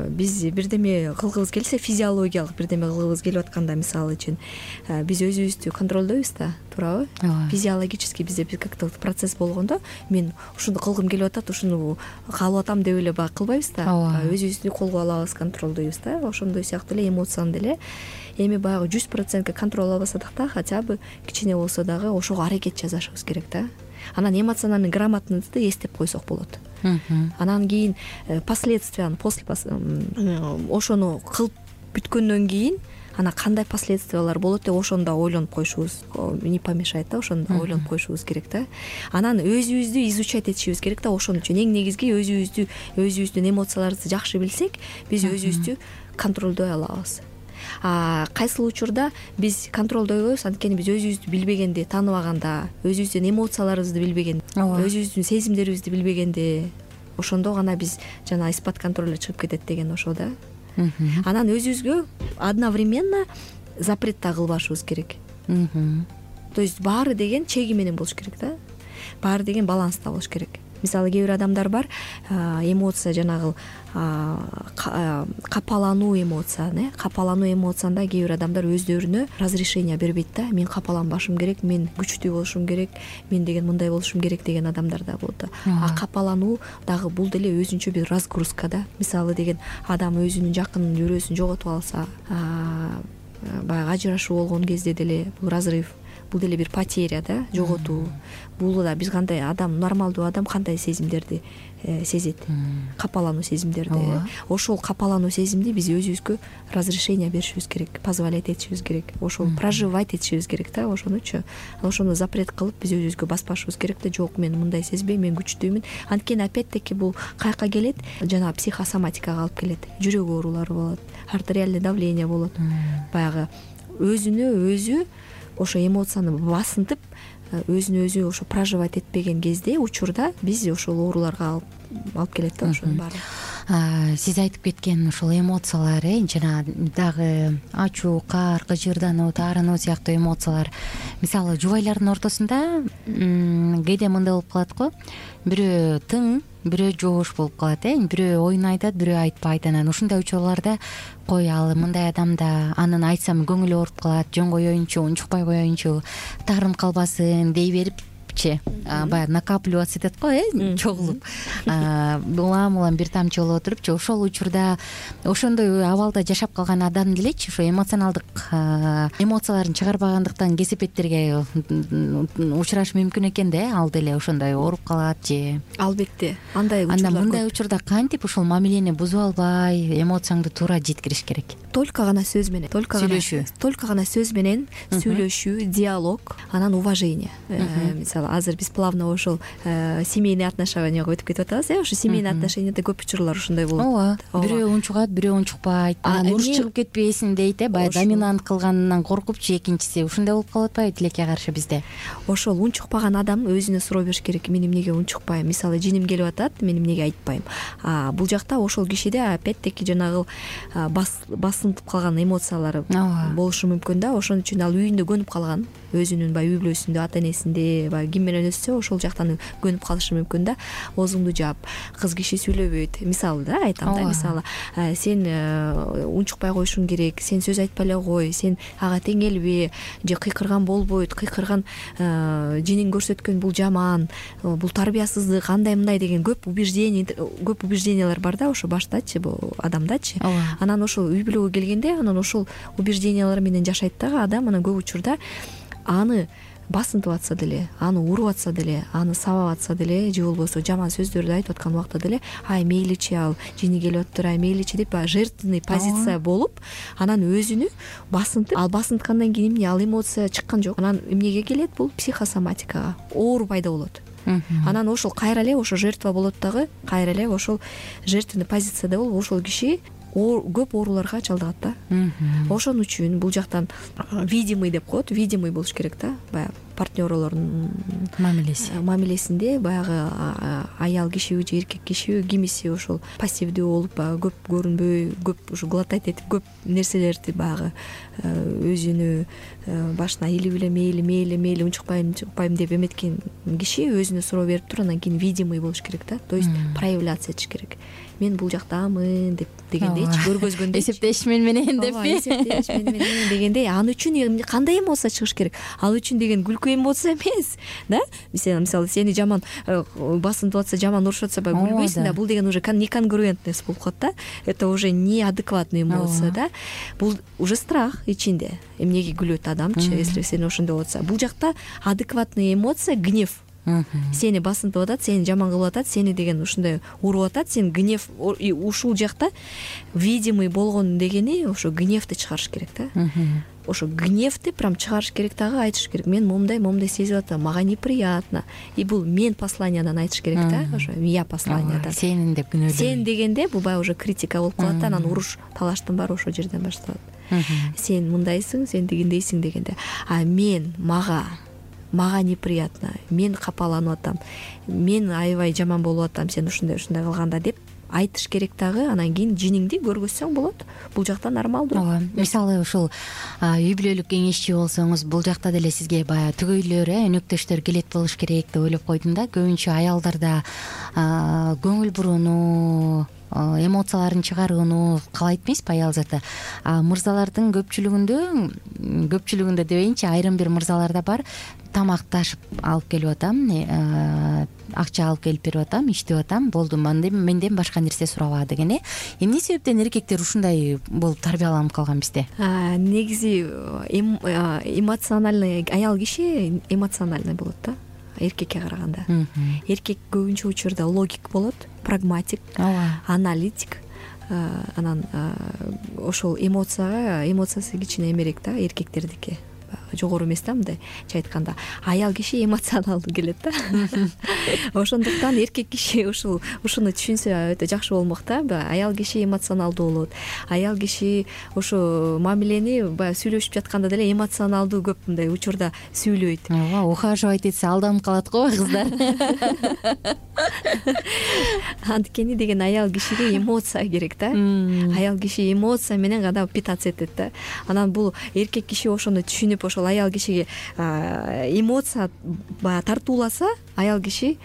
Биз бирдеме кылгыбыз келсе, физиологиялык бирдеме кылгыбыз келип атканда, мисалы үчүн биз өзүбүздү контролдойбуз да, туурабы? Физиологически бизде бир как-то процесс болгондо мен ушуну кылгым келип атат, ушуну каалап атам деп эле баягы кылбайбыз да. Өзүбүздү колго алабыз, контролдойбуз да. Ошондой сыяктуу эле эмоцияны деле эми баягы 100% контроль албасак да, хотя бы кичине болсо дагы ошого аракет жасашыбыз керек да. Анан эмоциональный грамотностьты эстеп койсок болот. Анан кийин последствияны ошону кылып бүткөндөн кийин анан кандай последствиялар болот деп ошону да ойлонуп коюшубуз не помешает да, ошону да ойлонуп коюшубуз керек да. Анан өзүбүздү изучать этишибиз керек да. Ошон үчүн эң негизги өзүбүздүн эмоцияларыбызды жакшы билсек, биз өзүбүздү контролдой алабыз. Кайсыл учурда биз контролдойбойбуз, анткени биз өзүбүздү билбегенде, тааныбаганда, өзүбүздүн эмоцияларыбызды билбегенде, өзүбүздүн сезимдерибизди билбегенде, ошондо гана биз жана из-под контроля чыгып кетет деген ошо да. Анан өзүбүзгө одновременно запрет да кылбашыбыз керек. То есть баары деген чеги менен болуш керек да. Баары деген баланста болуш керек. Мисалы кээ бир адамдар бар, эмоция жанагы капалануу эмоцияны, капалануу эмоциясында кээ бир адамдар өздөрүнө разрешение бербейт да. Мен капаланбашым керек, мен күчтүү болушум керек, мен деген мындай болушум керек деген адамдар да болот да. Капалануу дагы бул деле өзүнчө бир разгрузка да. Мисалы деген адам өзүнүн жакын жүрөөсүн жоготуп алса, баягы ажырашуу болгон кезде деле бул разрыв, бул деле бир потеря да, жоготуу. Бул да биз кандай адам, нормалдуу адам кандай сезимдерди сезет, капалануу сезимдерди. Ошол капалануу сезимди биз өзүбүзгө разрешение беришибиз керек, позволять этишибиз керек, ошол проживать этишибиз керек да. Ошонучу ошону запрет кылып биз өзүбүзгө баспашыбыз керек да. Жок, мен мындай сезбейм, мен күчтүүмүн. Анткени опять-таки бул каяка келет? Жана психосоматикага алып келет. Жүрөк оорулары болот, артериальный давление болот. Баягы өзүнө өзү ошо эмоцияны басынтып, өзүнө өзү ошо проживать этпеген кезде, учурда биз ошол ооруларга алып келет да, ошонун баары. Сиз айтып кеткен ушул эмоциялар, жана дагы ачуу, каар, кыжырдануу, таарынуу сыяктуу эмоциялар. Мисалы, жубайлардын ортосунда кээде мындай болуп калат го, бирөө тың, бирөө жоош болуп калат, бирөө оюн айтат, бирөө айтпайт. Анан ушундай учурларда кой, ал мындай адамда анын айтсам көңүлү ооруп калат, жөн коеюнчу, унчукпай коеюнчу, таарынып калбасын дей берип баягы накапливаться этет го, чогулуп, улам бир тамчы болуп отурупчу. Ошол учурда, ошондой абалда жашап калган адам делечи ошо эмоционалдык эмоцияларын чыгарбагандыктан кесепеттерге учурашы мүмкүн экен да. Ал деле ошондой ооруп калат же. Албетте, андай учурлар. Анда мындай учурда кантип ушул мамилени бузуп албай эмоцияңды туура жеткириш керек? Только гана сөз менен, только гана сөз менен сүйлөшүү, диалог, анан уважение. Мисалы азыр биз плавно ошол семейный отношенияга өтүп кетип атабыз. Ошо семейный отношенияда көп учурлар ушундай болот. Ооба, бирөө унчугат, бирөө унчукпайт, уруш чыгып кетпесин дейт, баягы доминант кылганынан коркупчу экинчиси. Ушундай болуп калып атпайбы тилекке каршы бизде? Ошол унчукпаган адам өзүнө суроо бериш керек. Мен эмнеге унчукпайм? Мисалы, жиним келип атат, мен эмнеге айтпайм? Бул жакта ошол кишиде опять-таки жанагы басынтып калган эмоциялары болушу мүмкүн да. Ошон үчүн ал үйүндө көнүп калган, өзүнүн баягы үй бүлөсүндө, ата-энесинде, баягы ким менен өссө ошол жактан көнүп калышы мүмкүн да. Оозуңду жаап, кыз киши сүйлөбөйт. Мисалы да айтам да, мисалы, сен унчукпай коюшуң керек, сен сөз айтпай эле кой, сен ага теңелбе, же кыйкырган болбойт, кыйкырган жинин көрсөткөн бул жаман, бул тарбиясыздык, андай мындай деген көп убеждениялар бар да ошо баштачы, бул адамдачы. Анан ошол үй бүлөгө келгенде анан ошол убеждениялар менен жашайт дагы адам. Анан көп учурда аны басынтып атса деле, аны уруп атса деле, аны сабап атса деле, же болбосо жаман сөздөрдү айтып аткан убакта деле, ай мейличи, ал жини келип атыптыр, ай мейличи деп жертвенный позиция болуп, анан өзүнү басынтып, ал басынткандан кийин эмне, ал эмоция чыккан жок. Анан эмнеге келет? Бул психосоматикага, оору пайда болот. Анан ошол кайра эле ошо жертва болот дагы, кайра эле ошол жертвенный позицияда болуп, ошол киши көп ооруларга чалдыгат да. Ошон үчүн бул жактан видимый деп коет, видимый болуш керек да. Баягы партнерлордун мамилесинде баягы аял кишиби же эркек кишиби кимиси ошол пассивдүү болуп, баягы көп көрүнбөй, көп ушу глотать этип, көп нерселерди баягы өзүнү башына илип эле мейли унчукпайм деп эметкен киши өзүнө суроо берип туруп, анан кийин видимый болуш керек да. То есть проявляться этиш керек. Мен бул жактамын деп дегендейчи, көргөзгөндөй. Эсептешмин менен деппи? Эсептешмин менен дегендей. Аны үчүн кандай эмоция чыгыш керек? Ал үчүн деген күлкү эмоция эмес да. Мисалы, сени жаман басынтып атса, жаман урушуп атса, баягы күлбөйсүң да. Бул деген уже неконгруентность болуп калат да. Это уже неадекватный эмоция да. Бул уже страх ичинде. Эмнеге күлөт адамчы, если сен ошондой болуп атса. Бул жакта адекватный эмоция гнев. Сени басынтып атат, сени жаман кылып атат, сени деген ушундай уруп атат, сен гнев, ушул жакта видимый болгон дегени ошо гневди чыгарыш керек да. Ошо гневди прям чыгарыш керек дагы, айтыш керек. Мен момундай сезип атам, мага неприятно. И бул мен посланиядан айтыш керек да, ошо я посланиядан. Сенин деп күнөөлөйм. Сен дегенде бул баягы уже критика болуп калат да, анан уруш, талаштын баары ошол жерден башталат. Сен мындайсың, сен дегендейсиң дегенде. Мен мага неприятно, мен капаланып атам, мен аябай жаман болуп атам, сен ушундай кылганда деп айтыш керек дагы. Анан кийин жиниңди көргөзсөң болот. Бул жакта нормалдуу. Ооба. Мисалы ушул үй бүлөлүк кеңешчи болсоңуз, бул жакта деле сизге баягы түгөйлөр, өнөктөштөр келет болуш керек деп ойлоп койдум да. Көбүнчө аялдарда көңүл бурууну, эмоцияларын чыгарууну каалайт эмеспи аял заты? Мырзалардын көпчүлүгүндө дебейинчи, айрым бир мырзаларда бар, тамакташып алып келип атам, акча алып келип берип атам, иштеп атам, болду, менден башка нерсе сураба деген. Эмне себептен эркектер ушундай болуп тарбияланып калган бизде? Негизи эмоциональный аял киши эмоциональный болот да, эркекке караганда. Эркек көбүнчө учурда логик болот, прагматик, аналитик. Анан ошол эмоциясы кичине эмерээк да, эркектердики. Жогору эмес да, мындай айтканда. Аял киши эмоционалдуу келет да. Ошондуктан эркек киши ушуну түшүнсө өтө жакшы болмок да. Аял киши эмоционалдуу болот. Аял киши ошо мамилени баягы сүйлөшүп жатканда деле эмоционалдуу көп мындай учурда сүйлөйт. Ооба, ухаживать этсе алданып калат го кыздар. Анткени деген аял кишиге эмоция керек да. Аял киши эмоция менен гана питаться этет да. Анан бул эркек киши ошону түшүнүп, ошол аял кишиге эмоция баягы тартууласа, аял кишинин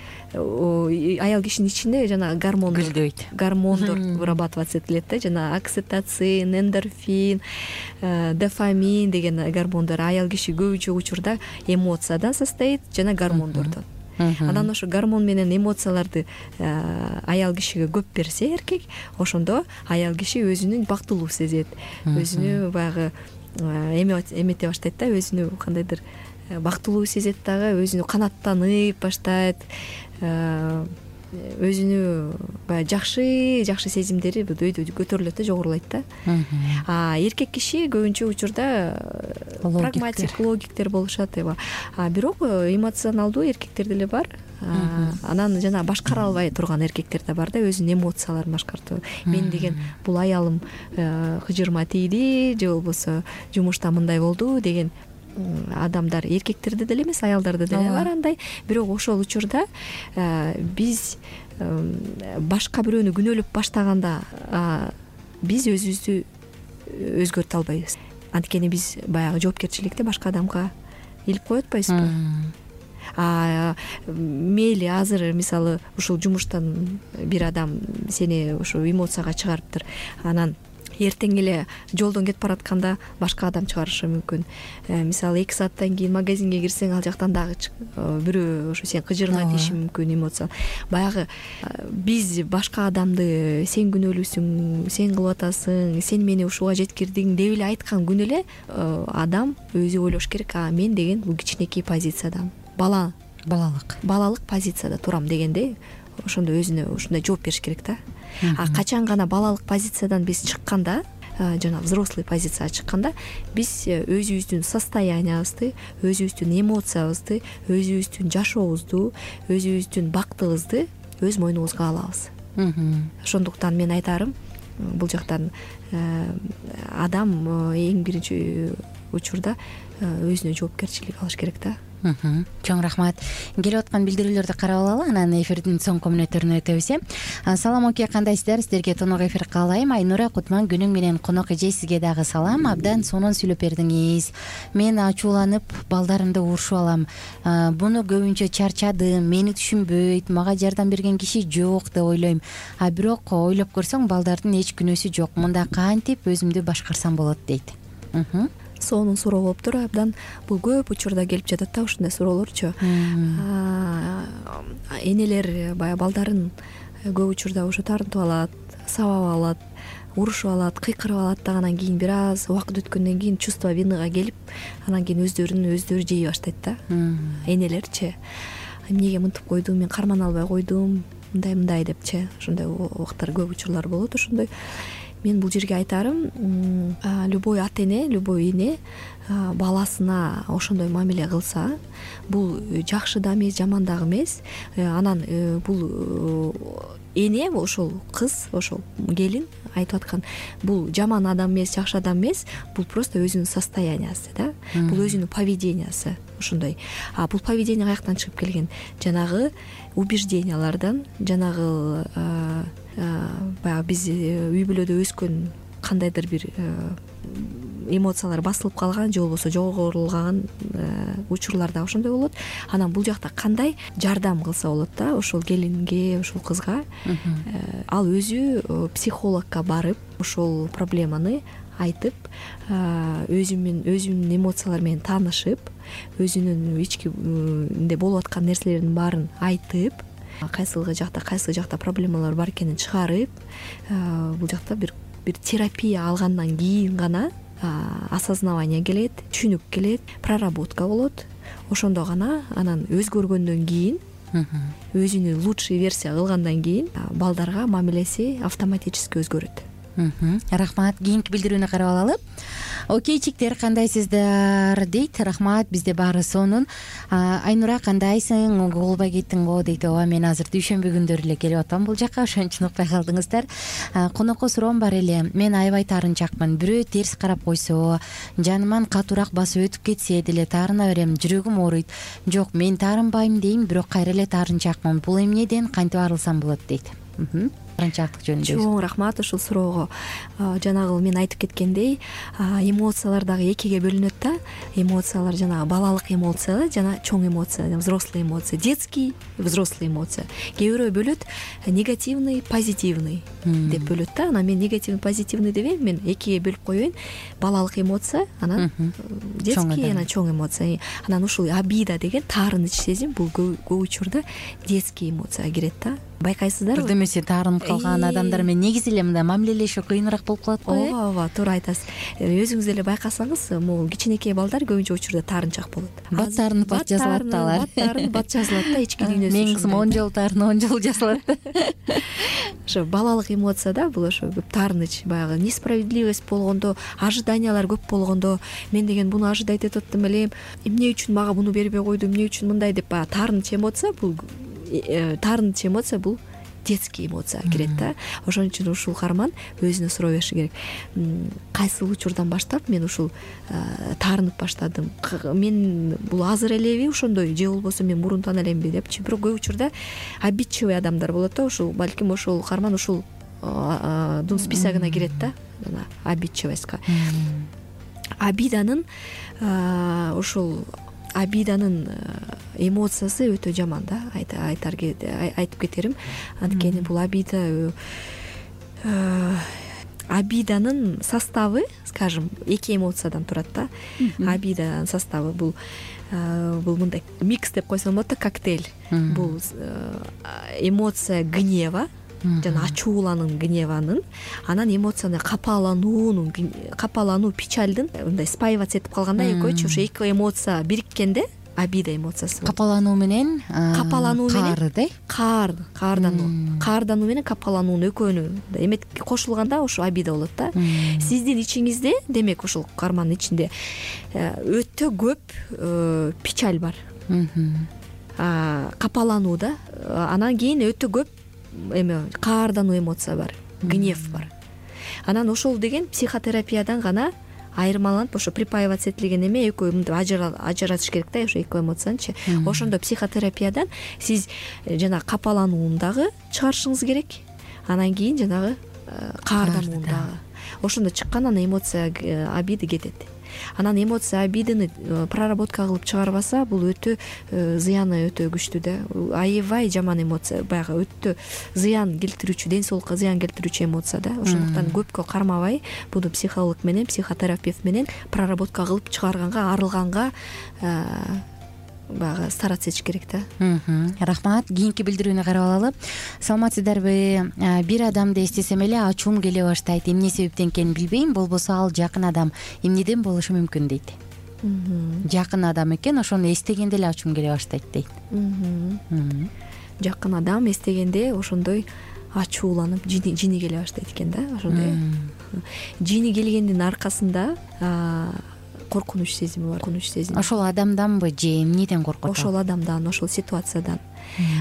ичинде жана гормондор вырабатываться этилет да, жана окситоцин, эндорфин, дофамин деген гормондор. Аял киши көбүнчө учурда эмоциядан состоит жана гормондордон. Анан ошо гормон менен эмоцияларды аял кишиге көп берсе эркек, ошондо аял киши өзүнүн бактылуу сезет, өзүнү баягы эмете баштайт да, өзүнү кандайдыр бактылуу сезет дагы, өзүнү канааттанып баштайт. өзүнү баягы жакшы сезимдери өйдө көтөрүлөт да, жогорулайт да. Эркек киши көбүнчө учурда прагматик, логиктер болушат. Бирок эмоционалдуу эркектер деле бар. Анан жана башкара албай турган эркектер да бар да, өзүнүн эмоцияларын башкартуу. Мен деген бул аялым кыжырма тийди же болбосо жумушта мындай болду деген адамдар эркектерде деле эмес, аялдарда деле бар андай. Бирок ошол учурда биз башка бирөөнү күнөөлөп баштаганда биз өзүбүздү өзгөртө албайбыз. Анткени биз баягы жоопкерчиликти башка адамга илип коюп атпайбызбы? Мейли азыр мисалы ушул жумуштан бир адам сени ушу эмоцияга чыгарыптыр, анан эртең эле жолдон кетип баратканда башка адам чыгарышы мүмкүн. Мисалы 2 сааттан кийин магазинге кирсең, ал жактан дагы бирөө ошо сен кыжырма деши мүмкүн эмоция. Баягы биз башка адамды сен күнөөлүүсүң, сен кылып атасың, сен мени ушуга жеткирдиң деп эле айткан күнү эле адам өзү ойлош керек, мен деген бул кичинекей позициядамын, балалык позицияда турам дегенде ошондо өзүнө ушундай жооп бериш керек да. Качан гана балалык позициядан биз чыкканда, жана взрослый позицияга чыкканда, биз өзүбүздүн состояниябызды, өзүбүздүн эмоциябызды, өзүбүздүн жашообузду, өзүбүздүн бактыбызды өз мойнубузга алабыз. Ошондуктан мен айтарым, бул жактан адам эң биринчи учурда өзүнө жоопкерчилик алыш керек да. Чоң рахмат. Келип аткан билдирүүлөрдү карап алалы, анан эфирдин соңку мүнөттөрүнө өтөбүз. Салам оке, кандайсыздар? Сиздерге тонок эфир каалайм. Айнура Кутман күнүң менен конок эже, сизге дагы салам. Абдан сонун сүйлөп бердиңиз. Мен ачууланып балдарымды урушуп алам. Буну көбүнчө чарчадым, мени түшүнбөйт, мага жардам берген киши жок деп ойлойм. Бирок ойлоп көрсөң, балдардын эч күнөөсү жок. Мында кантип өзүмдү башкарсам болот дейт. Сонун суроо болуптур. Абдан бул көп учурда келип жатат да ушундай суроолорчу. Энелер баягы балдарын көп учурда ушу тартып алат, сабап алат, урушуп алат, кыйкырып алат да, анан кийин бир аз убакыт өткөндөн кийин чувство виныга келип, анан кийин өздөрү жей баштайт да. Энелерчи, эмнеге мынтип койдум, мен кармана албай койдум, мындай депчи. Ошондой убактар көп учурлар болот. Ошондой мен бул жерге айтарым, любой ата эне, любой эне баласына ошондой мамиле кылса, бул жакшы да эмес, жаман дагы эмес. Анан бул эне, ошол кыз, ошол келин айтып аткан, бул жаман адам эмес, жакшы адам эмес, бул просто өзүнүн состояниясы да. Бул өзүнүн поведениясы ошондой. Бул поведение каяктан чыгып келген? Жанагы убеждениялардан, жанагы баягы биз үй бүлөдө өскөн кандайдыр бир эмоциялар басылып калган же болбосо жогорулган учурларда ошондой болот. Анан бул жакта кандай жардам кылса болот да ошол келинге, ошол кызга? Ал өзү психологко барып, ошол проблеманы айтып, өзүнүн эмоциялары менен таанышып, өзүнүн ичкиде болуп аткан нерселердин баарын айтып, кайсы жакта проблемалар бар экенин чыгарып, бул жакта бир терапия алгандан кийин гана осознавание келет, түшүнүк келет, проработка болот. Ошондо гана анан өзгөргөндөн кийин, өзүнү лучший версия кылгандан кийин балдарга мамилеси автоматически өзгөрөт. Рахмат. Кийинки билдирүүнү карап алалы. Окейчиктер, кандайсыздар дейт. Рахмат, бизде баары сонун. Айнура, кандайсың? Угулбай кеттиңби дейт. Ооба, мен азыр дүйшөмбү күндөрү эле келип атам бул жака, ошон үчүн укпай калдыңыздар. Конокко суроом бар эле. Мен аябай таарынчакмын. Бирөө терс карап койсо, жаныман катуураак басып өтүп кетсе деле таарына берем, жүрөгүм ооруйт. Жок, мен таарынбайм дейм, бирок кайра эле таарынчакмын. Бул эмнеден кантип арылсам болот дейт. Таарынчаактык жөнүндө. Чоң рахмат ушул суроого. Жанагы мен айтып кеткендей, эмоциялар дагы экиге бөлүнөт да. Эмоциялар жанагы балалык эмоция жана чоң эмоция, взрослый эмоция, детский, взрослый эмоция. Кээ бирөө бөлөт негативный, позитивный деп бөлөт да. Анан мен негативный, позитивный дебейм, мен экиге бөлүп коеюн. Балалык эмоция, анан детский, анан чоң эмоция. Анан ушул обида деген таарыныч сезим, бул көп учурда детский эмоцияга кирет да. байкайсыздарбы? Бирдемеси таарынып калган адамдар менен негизи эле мындай мамилелешүү кыйыныраак болуп калат го. Ооба, туура айтасыз. Өзүңүз эле байкасаңыз, могу кичинекей балдар көбүнчө учурда таарынчаак болот. Бат таарынып бат жазылат да алар. Бат жазылат да, ички дүйнөсү. Менин кызым 10 жолу таарынып 10 жолу жазылат. Ошо балалык эмоцияда бул ошо көп таарыныч, баягы несправедливость болгондо, ожиданиялар көп болгондо, мен деген буну ожидать этип атам элем, эмне үчүн мага буну бербей койду, эмне үчүн мындай деп баягы таарыныч эмоция бул детский эмоция кирет да. Ошон үчүн ушул каарман өзүнө суроо бериши керек. Кайсыл учурдан баштап мен ушул таарынып баштадым? Мен бул азыр элеби ошондой, же болбосо мен мурунтан элемби депчи. Бирок көп учурда обидчивый адамдар болот да, ушул балким ошол каарман ушул дун списогуна кирет да, обидчивостька. Обиданын эмоциясы өтө жаман да, айтып кетерим. Анткени бул обиданын составы, скажем, эки эмоциядан турат да. Обиданын составы бул мындай микс деп койсом болот да, коктейль. Бул эмоция гнева, жана ачууланын, гневанын, анан эмоцияны капалануу, печальдын мындай спаиваться этип калганда экөөчү ошо эки эмоция бириккенде обида эмоциясы. Капалануу менен каардануу менен капалануунун экөөнү эмет кошулганда ошо обида болот да. Сиздин ичиңизде, демек ушул каармандын ичинде өтө көп печаль бар, капалануу да, анан кийин өтө көп каардануу эмоция бар, гнев бар. Анан ошол деген психотерапиядан гана айырмаланып, ошо припаиваться этилген эме экөө мынтип ажыратыш керек да, ошо эки эмоциянычы. Ошондо психотерапиядан сиз жанагы капаланууну дагы чыгарышыңыз керек, анан кийин жанагы каарданууну дагы. Ошондо чыккан анан эмоция обида кетет. Анан эмоция обиданы проработка кылып чыгарбаса, бул өтө зыяны өтө күчтүү да. Аябай жаман эмоция, баягы өтө зыян келтирүүчү, ден соолукка зыян келтирүүчү эмоция да. Ошондуктан көпкө кармабай, буну психолог менен, психотерапевт менен проработка кылып чыгарганга, арылганга баягы стараться этиш керек да. Рахмат. Кийинки билдирүүнү карап алалы. Саламатсыздарбы? Бир адамды эстесем эле ачуум келе баштайт. Эмне себептен экенин билбейм, болбосо ал жакын адам. Эмнеден болушу мүмкүн дейт. Жакын адам экен, ошону эстегенде эле ачуум келе баштайт дейт. Жакын адам эстегенде ошондой ачууланып, жини келе баштайт экен да, ошондой. Жини келгендин аркасында коркунуч сезими бар. Ошол адамданбы же эмнеден коркот? Ошол адамдан, ошол ситуациядан.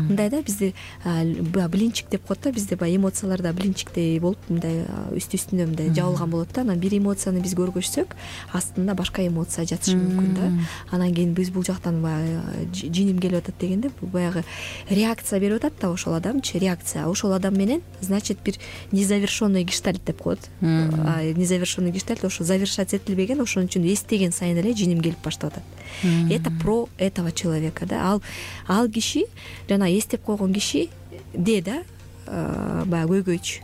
Мындай да, бизде блинчик деп коет да, бизде баягы эмоцияларда блинчиктей болуп мындай үстүнө мындай жабылган болот да. Анан бир эмоцияны биз көргөзсөк, астында башка эмоция жатышы мүмкүн да. Анан кийин биз бул жактан баягы жиним келип атат дегенде, бул баягы реакция берип атат да ошол адамчы, реакция. Ошол адам менен, значит, бир незавершенный гештальт деп коет. Незавершенный гештальт ошо завершать этилбеген, ошон үчүн эстеген сайын эле жиним келип баштап атат. Это про этого человека да. Ал киши, жана эстеп койгон киши да, баягы көйгөйчү.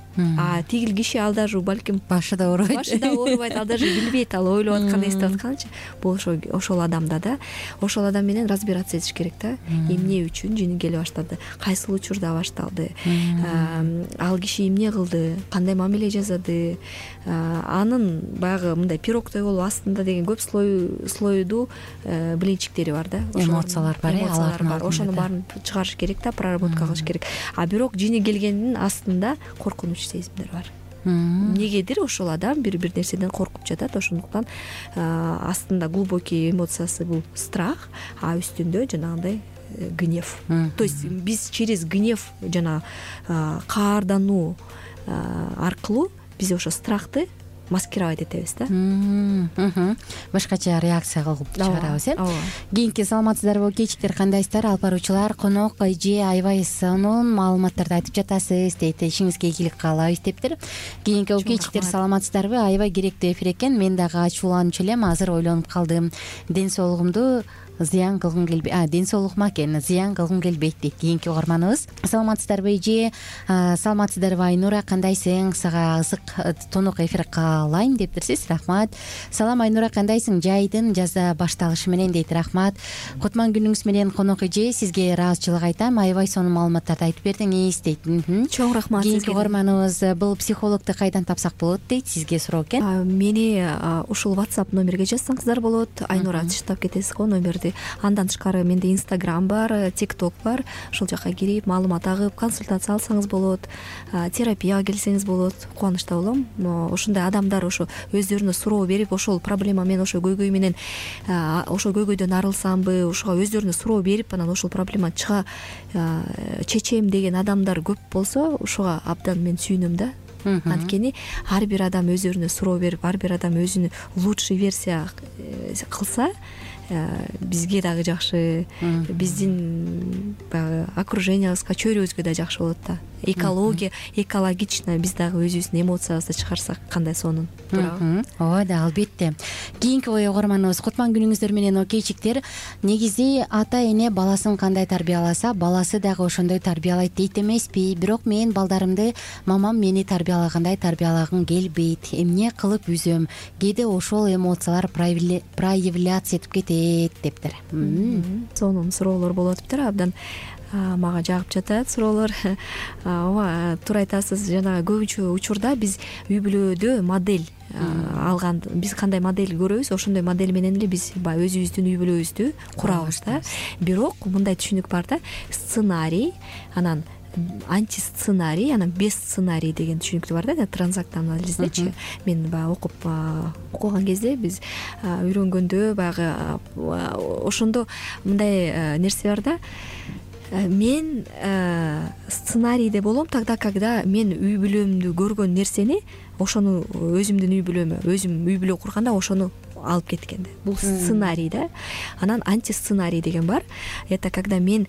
Тигил киши ал даже балким башыда оорубайт, ал даже билбейт, ал ойлоп аткан, эстеп атканчы. Бул ошол адамда да, ошол адам менен разбираться этиш керек да. Эмне үчүн жини келе баштады, кайсыл учурда башталды, ал киши эмне кылды, кандай мамиле жасады, анын баягы мындай пирогтой болуп астында деген көп слоюдуу блинчиктери бар да. Эмоциялар бар, ошонун баарын чыгарыш керек да, проработка кылыш керек. Бирок жини келгендин астында коркунуч сезимдер бар. Негедир ошол адам бир нерседен коркуп жатат, ошондуктан астында глубокий эмоциясы бул страх, үстүндө жанагындай гнев. То есть биз через гнев жана каардануу аркылуу биз ошо страхты маскировать этебиз да. Башкача реакция кылып чыгарабыз, Кийинки саламатсыздарбы кечиктер, кандайсыздар? Алып баруучулар, конок эже аябай сонун маалыматтарды айтып жатасыз дейт. Ишиңизге ийгилик каалайбыз дептир. Кийинки кечиктер, саламатсыздарбы? Аябай керектүү эфир экен. Мен дагы ачууланчу элем, азыр ойлонуп калдым. Ден соолугумду зыян кылгым келбейт, ден соолугума экен, зыян кылгым келбейт дейт кийинки угарманыбыз. Саламатсыздарбы эже, саламатсыздарбы Айнура, кандайсың? Сага ысык тунук эфир каалайм дептирсиз. Рахмат. Салам Айнура, кандайсың? Жайдын жазда башталышы менен дейт. Рахмат. Кутман күнүңүз менен конок эже, сизге ыраазычылык айтам. Аябай сонун маалыматтарды айтып бердиңиз дейт. Чоң рахмат сизге. Кийинки угарманыбыз бул психологду кайдан тапсак болот дейт, сизге суроо экен. Мени ушул WhatsApp номерге жазсаңыздар болот. Айнура тыштап кетесиз го номерди. Андан тышкары менде Instagram бар, TikTok бар. Ушул жака кирип маалымат агып, консультация алсаңыз болот, терапияга келсеңиз болот. Кубанычта болом. Ушундай адамдар ошо өздөрүнө суроо берип, ошол проблема мен ошо көйгөй менен ошол көйгөйдөн арылсамбы, ошого өздөрүнө суроо берип, анан ошол проблема чыга чечем деген адамдар көп болсо, ошого абдан мен сүйүнөм да. Анткени ар бир адам өздөрүнө суроо берип, ар бир адам өзүнүн лучший версия кылса, бизге дагы жакшы, биздин баягы окружениябызга, чөйрөбүзгө да жакшы болот да. Экологично биз дагы өзүбүздүн эмоциябызды чыгарсак кандай сонун, туурабы? Ооба да, албетте. Кийинки угарманыбыз: кутман күнүңүздөр менен окейчиктер. Негизи ата эне баласын кандай тарбияласа, баласы дагы ошондой тарбиялайт дейт эмеспи? Бирок мен балдарымды мамам мени тарбиялагандай тарбиялагым келбейт. Эмне кылып үзөм? Кээде ошол эмоциялар проявляция этип кетет дептир. Сонун суроолор болуп атыптыр, абдан мага жагып жатат суроолор. Ооба, туура айтасыз. Жана көбүнчө учурда биз үй бүлөдө модель алган, биз кандай модель көрөбүз, ошондой модель менен эле биз баягы өзүбүздүн үй бүлөбүздү курабыз да. Бирок мындай түшүнүк бар да: сценарий, анан антисценарий, анан бессценарий деген түшүнүктөр бар да, транзактный анализдечи. Мен баягы окуган кезде, биз үйрөнгөндө баягы ошондо мындай нерсе бар да. Мен сценарийде болом тогда, когда мен үй бүлөмдү көргөн нерсени, ошону өзүмдүн үй бүлөмө, өзүм үй бүлө курганда ошону алып кеткен. Бул сценарий да. Анан антисценарий деген бар. Это когда менин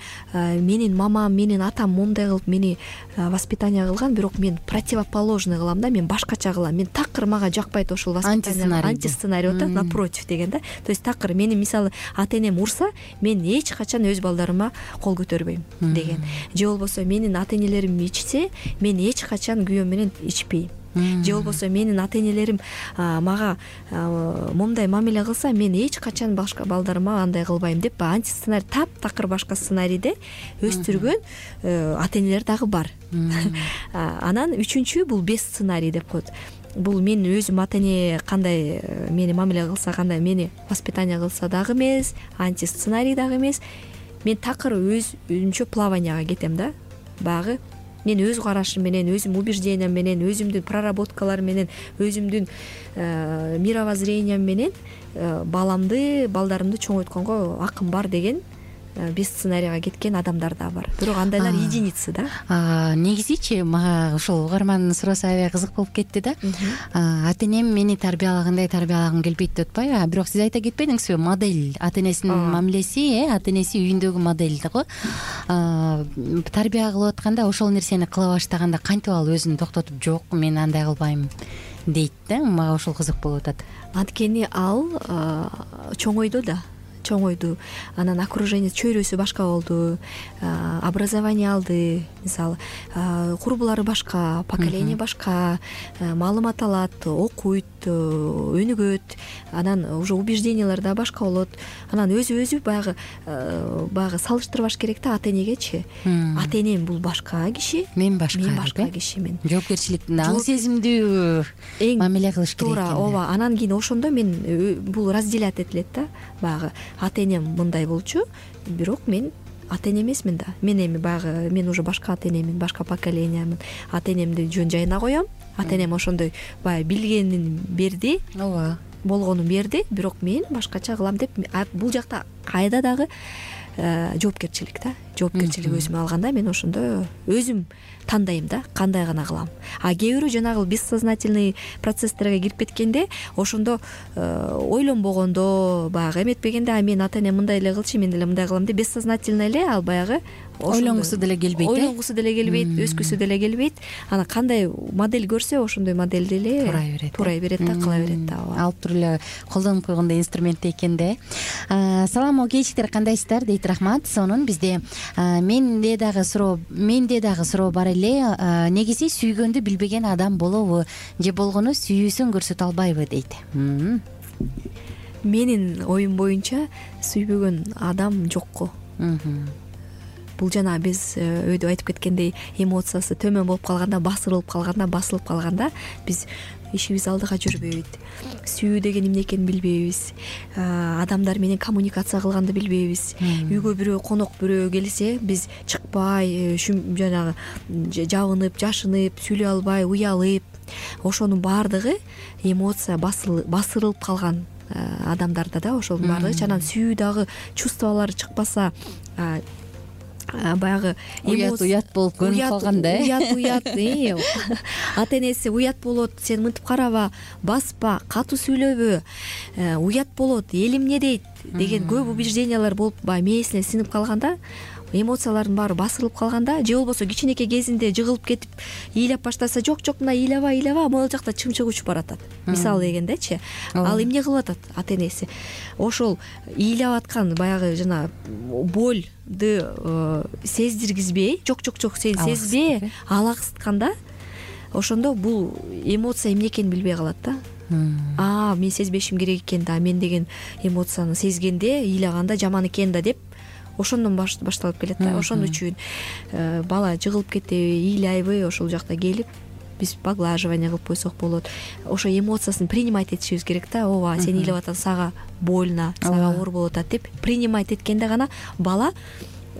мамам, менин атам момундай кылып мени воспитание кылган, бирок мен противоположный кылам да, мен башкача кылам. Мен такыр мага жакпайт ошол воспитание. Антисценарий да, напротив деген да. То есть такыр мени мисалы ата энем урса, мен эч качан өз балдарыма кол көтөрбөйм деген. Же болбосо менин ата энелерим ичсе, мен эч качан күйөөм менен ичпейм. Же болбосо менин ата энелерим мага момундай мамиле кылса, мен эч качан башка балдарыма андай кылбайм деп, антисценарий таптакыр башка сценарийде өстүргөн ата энелер дагы бар. Анан үчүнчү бул бессценарий деп коет. Бул мен өзүм ата эне кандай мени мамиле кылса, кандай мени воспитание кылса дагы эмес, антисценарий дагы эмес. Мен такыр өзүмчө плаванияга кетем да. Багы мен өз карашым менен, өзүм убеждениям менен, өзүмдүн проработкаларым менен, өзүмдүн мировоззрениям менен балдарымды чоңойтконго акым бар деген без сценарийга кеткен адамдар да бар. Бирок андайлар единицы да. Негизичи мага ушул угармандын суроосу аябай кызык болуп кетти да. Ата энем мени тарбиялагандай тарбиялагым келбейт деп атпайбы? Бирок сиз айта кетпедиңизби? Модель, ата энесинин мамилеси, ата энеси үйүндөгү модель да го. Тарбия кылып атканда ошол нерсени кыла баштаганда кантип ал өзүн токтотуп, жок, мен андай кылбайм дейт да. Мага ошол кызык болуп атат. Анткени ал чоңойду да. Чоңойду, анан окружение, чөйрөсү башка болду, образование алды, мисалы курбулары башка, поколение башка, маалымат алат, окуйт, өнүгөт, анан уже убеждениялар да башка болот. Анан өзү баягы салыштырбаш керек да ата энегечи. Ата энем бул башка киши, мен башка киши, мен жоопкерчиликтүү, аң сезимдүү мамиле кылыш керек экен. Ооба, анан кийин ошондо мен бул разделять этилет да. Баягы ата энем мындай болчу, бирок мен ата эне эмесмин да. Мен эми баягы мен уже башка ата энемин, башка поколениямын. Ата энемди жөн жайына коем. Ата энем ошондой баягы билгенин берди. Ооба. Болгонун берди, бирок мен башкача кылам деп, бул жакта кайда дагы жоопкерчилик да. жоопкерчилик өзүмө алганда мен ошондо өзүм тандайм да кандай гана кылам. А кээ бирөө жанагы бессознательный процесстерге кирип кеткенде ошондо ойлонбогондо баягы эметпегенде мен ата энем мындай эле кылчу мен деле мындай кылам деп бессознательно эле ал баягы ойлонгусу деле келбейт, ойлонгусу деле келбейт, өскүсү деле келбейт. Анан кандай модель көрсө ошондой модельди эле туурай берет да, кыла берет да. Алып туруп эле колдонуп койгондой инструмент экен да. Саламу кечиктер, кандайсыздар дейт Рахмат. Сонун бизде менде дагы суроо бар эле. Негизи сүйгөндү билбеген адам болобу же болгону сүйүүсүн көрсөтө албайбы дейт. Менин оюм боюнча сүйбөгөн адам жокко. Бул жана биз өйдө айтып кеткендей эмоциясы төмөн болуп калганда, басылып калганда биз ишибиз алдыга жүрбөйт. Сүйүү деген эмне экенин билбейбиз. Адамдар менен коммуникация кылганды билбейбиз. Үйгө бирөө конок бирөө келсе, биз чыкпай, жанагы жабынып, жашынып, сүйлөй албай, уялып, ошонун баардыгы эмоция басырылып калган адамдарда да, ошонун баардыгы. Анан сүйүү дагы чувстволор чыкпаса, баягы уят болуп көрүнүп калганда, уят ата энеси уят болот, сен мынтип караба, баспа, катуу сүйлөбө, уят болот, эл эмне дейт деген көп убеждениялар болуп баягы мээсине сиңип калганда, эмоциялардын баары басырылып калганда, же болбосо кичинекей кезинде жыгылып кетип ыйлап баштаса, жок мына ыйлаба, могул жакта чымчык учуп баратат. Мисалы дегендечи, ал эмне кылып атат ата энеси? Ошол ыйлап аткан баягы жана болду сездиргизбей, жок сен сезбе, алаксытканда, ошондо бул эмоция эмне экенин билбей калат да. Мен сезбешим керек экен да, мен деген эмоцияны сезгенде, ыйлаганда жаман экен да деп ошондон башталып келет да. Ошон үчүн бала жыгылып кетеби, ыйлайбы, ошол жакта келип биз поглаживание кылып койсок болот. Ошо эмоциясын принимать этишибиз керек да. Ооба, сен ыйлап атасың, сага больно, сага оор болуп атат деп принимать эткенде гана бала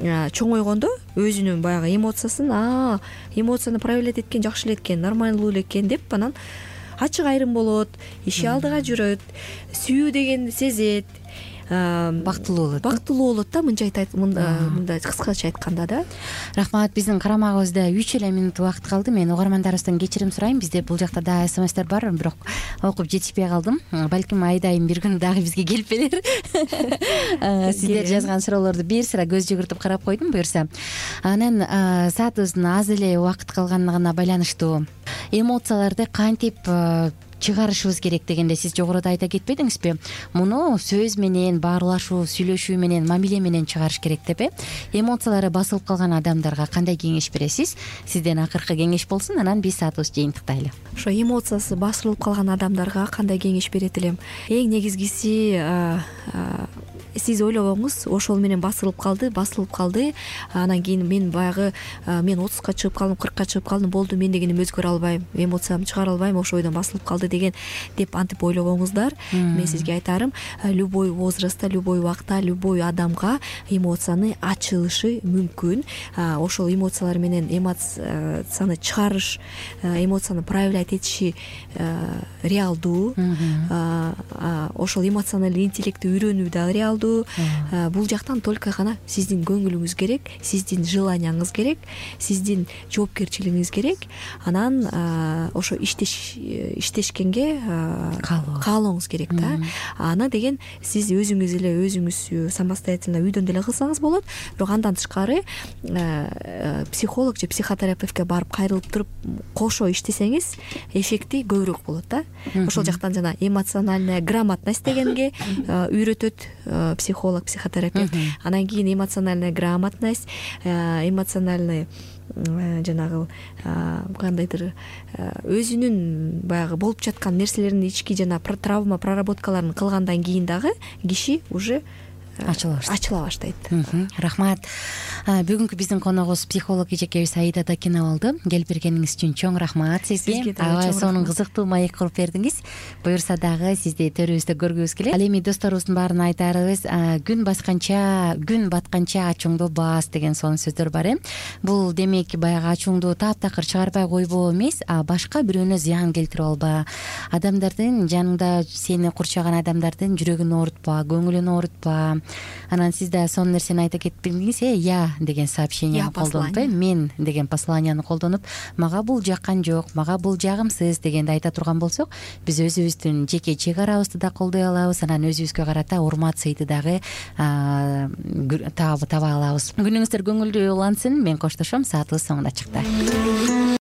чоңойгондо өзүнүн баягы эмоцияны проявлять эткен жакшы эле экен, нормалдуу эле экен деп анан ачык айрым болот, иши алдыга жүрөт, сүйүү дегенди сезет, бактылуу болот да, мындай кыскача айтканда да. Рахмат. Биздин карамагыбызда 3 эле минут убакыт калды. Мен угармандарыбыздан кечирим сурайм. Бизде бул жакта да смстер бар, бирок окуп жетишпей калдым. Балким айдайым бир күн дагы бизге келип берер. Сиздер жазган суроолорду бир сыра көз жүгүртүп карап койдум буюрса. Анан саатыбыздын аз эле убакыт калганына байланыштуу эмоцияларды кантип чыгарышыбыз керек дегенде сиз жогоруда айта кетпедиңизби? Муну сөз менен, баарлашуу, сүйлөшүү менен, мамиле менен чыгарыш керек деп. Эмоциялары басылып калган адамдарга кандай кеңеш бересиз? Сизден акыркы кеңеш болсун, анан биз саатыбызды жыйынтыктайлы. Ошо эмоциясы басылып калган адамдарга кандай кеңеш берет элем? Эң негизгиси, сиз ойлобоңуз, ошол менен басылып калды. Анан кийин мен баягы мен 30ка чыгып калдым, 40ка чыгып калдым, болду, мен дегеним өзгөрө албайм, эмоциямды чыгара албайм, ошол ойдон басылып калды деген деп антип ойлобоңуздар. Мен сизге айтарым, любой возрастта, любой убакта, любой адамга эмоцияны ачылышы мүмкүн. Ошол эмоциялар менен эмоцияны чыгарыш, эмоцияны проявлять этиши реалдуу. Ошол эмоциональный интеллектти үйрөнүү да реалдуу. Бул жактан только гана сиздин көңүлүңүз керек, сиздин желанияңыз керек, сиздин жоопкерчилигиңиз керек. Анан ошо иштешкенге каалооңуз керек да. Аны деген сиз өзүңүз самостоятельно үйдөн деле кылсаңыз болот. Бирок андан тышкары психолог же психотерапевтке барып кайрылып туруп кошо иштесеңиз эффекти көбүрөөк болот да. Ошол жактан жана эмоциональная грамотность дегенге үйрөтөт психолог, психотерапевт. Анан кийин эмоциональная грамотность, эмоциональный жанагы кандайдыр өзүнүн баягы болуп жаткан нерселердин ички жана травма проработкаларын кылгандан кийин дагы киши уже ачыла баштайт. Рахмат. Бүгүнкү биздин коногубуз психолог эжекебиз Аида Дакинова болду. Келип бергениңиз үчүн чоң рахмат сизге. Аябай сонун кызыктуу маек куруп бердиңиз. Буюрса дагы сизди төрүбүздө көргүбүз келет. Ал эми досторубуздун баарына айтарыбыз, күн батканча ачууңду бас деген сонун сөздөр бар. Бул демек баягы ачууңду таптакыр чыгарбай койбоо эмес, башка бирөөнө зыян келтирип алба. Адамдардын жаныңда сени курчаган адамдардын жүрөгүн оорутпа, көңүлүн оорутпа. Анан сиз да сонун нерсени айта кетпедиңиз. Я деген сообщенияны колдонуп, мен деген посланияны колдонуп, мага бул жаккан жок, мага бул жагымсыз дегенди айта турган болсок, биз өзүбүздүн жеке чек арабызды да колдой алабыз. Анан өзүбүзгө карата урмат сыйды дагы таба алабыз. Күнүңүздөр көңүлдүү улансын. Мен коштошом. Саатыбыз соңуна чыкты.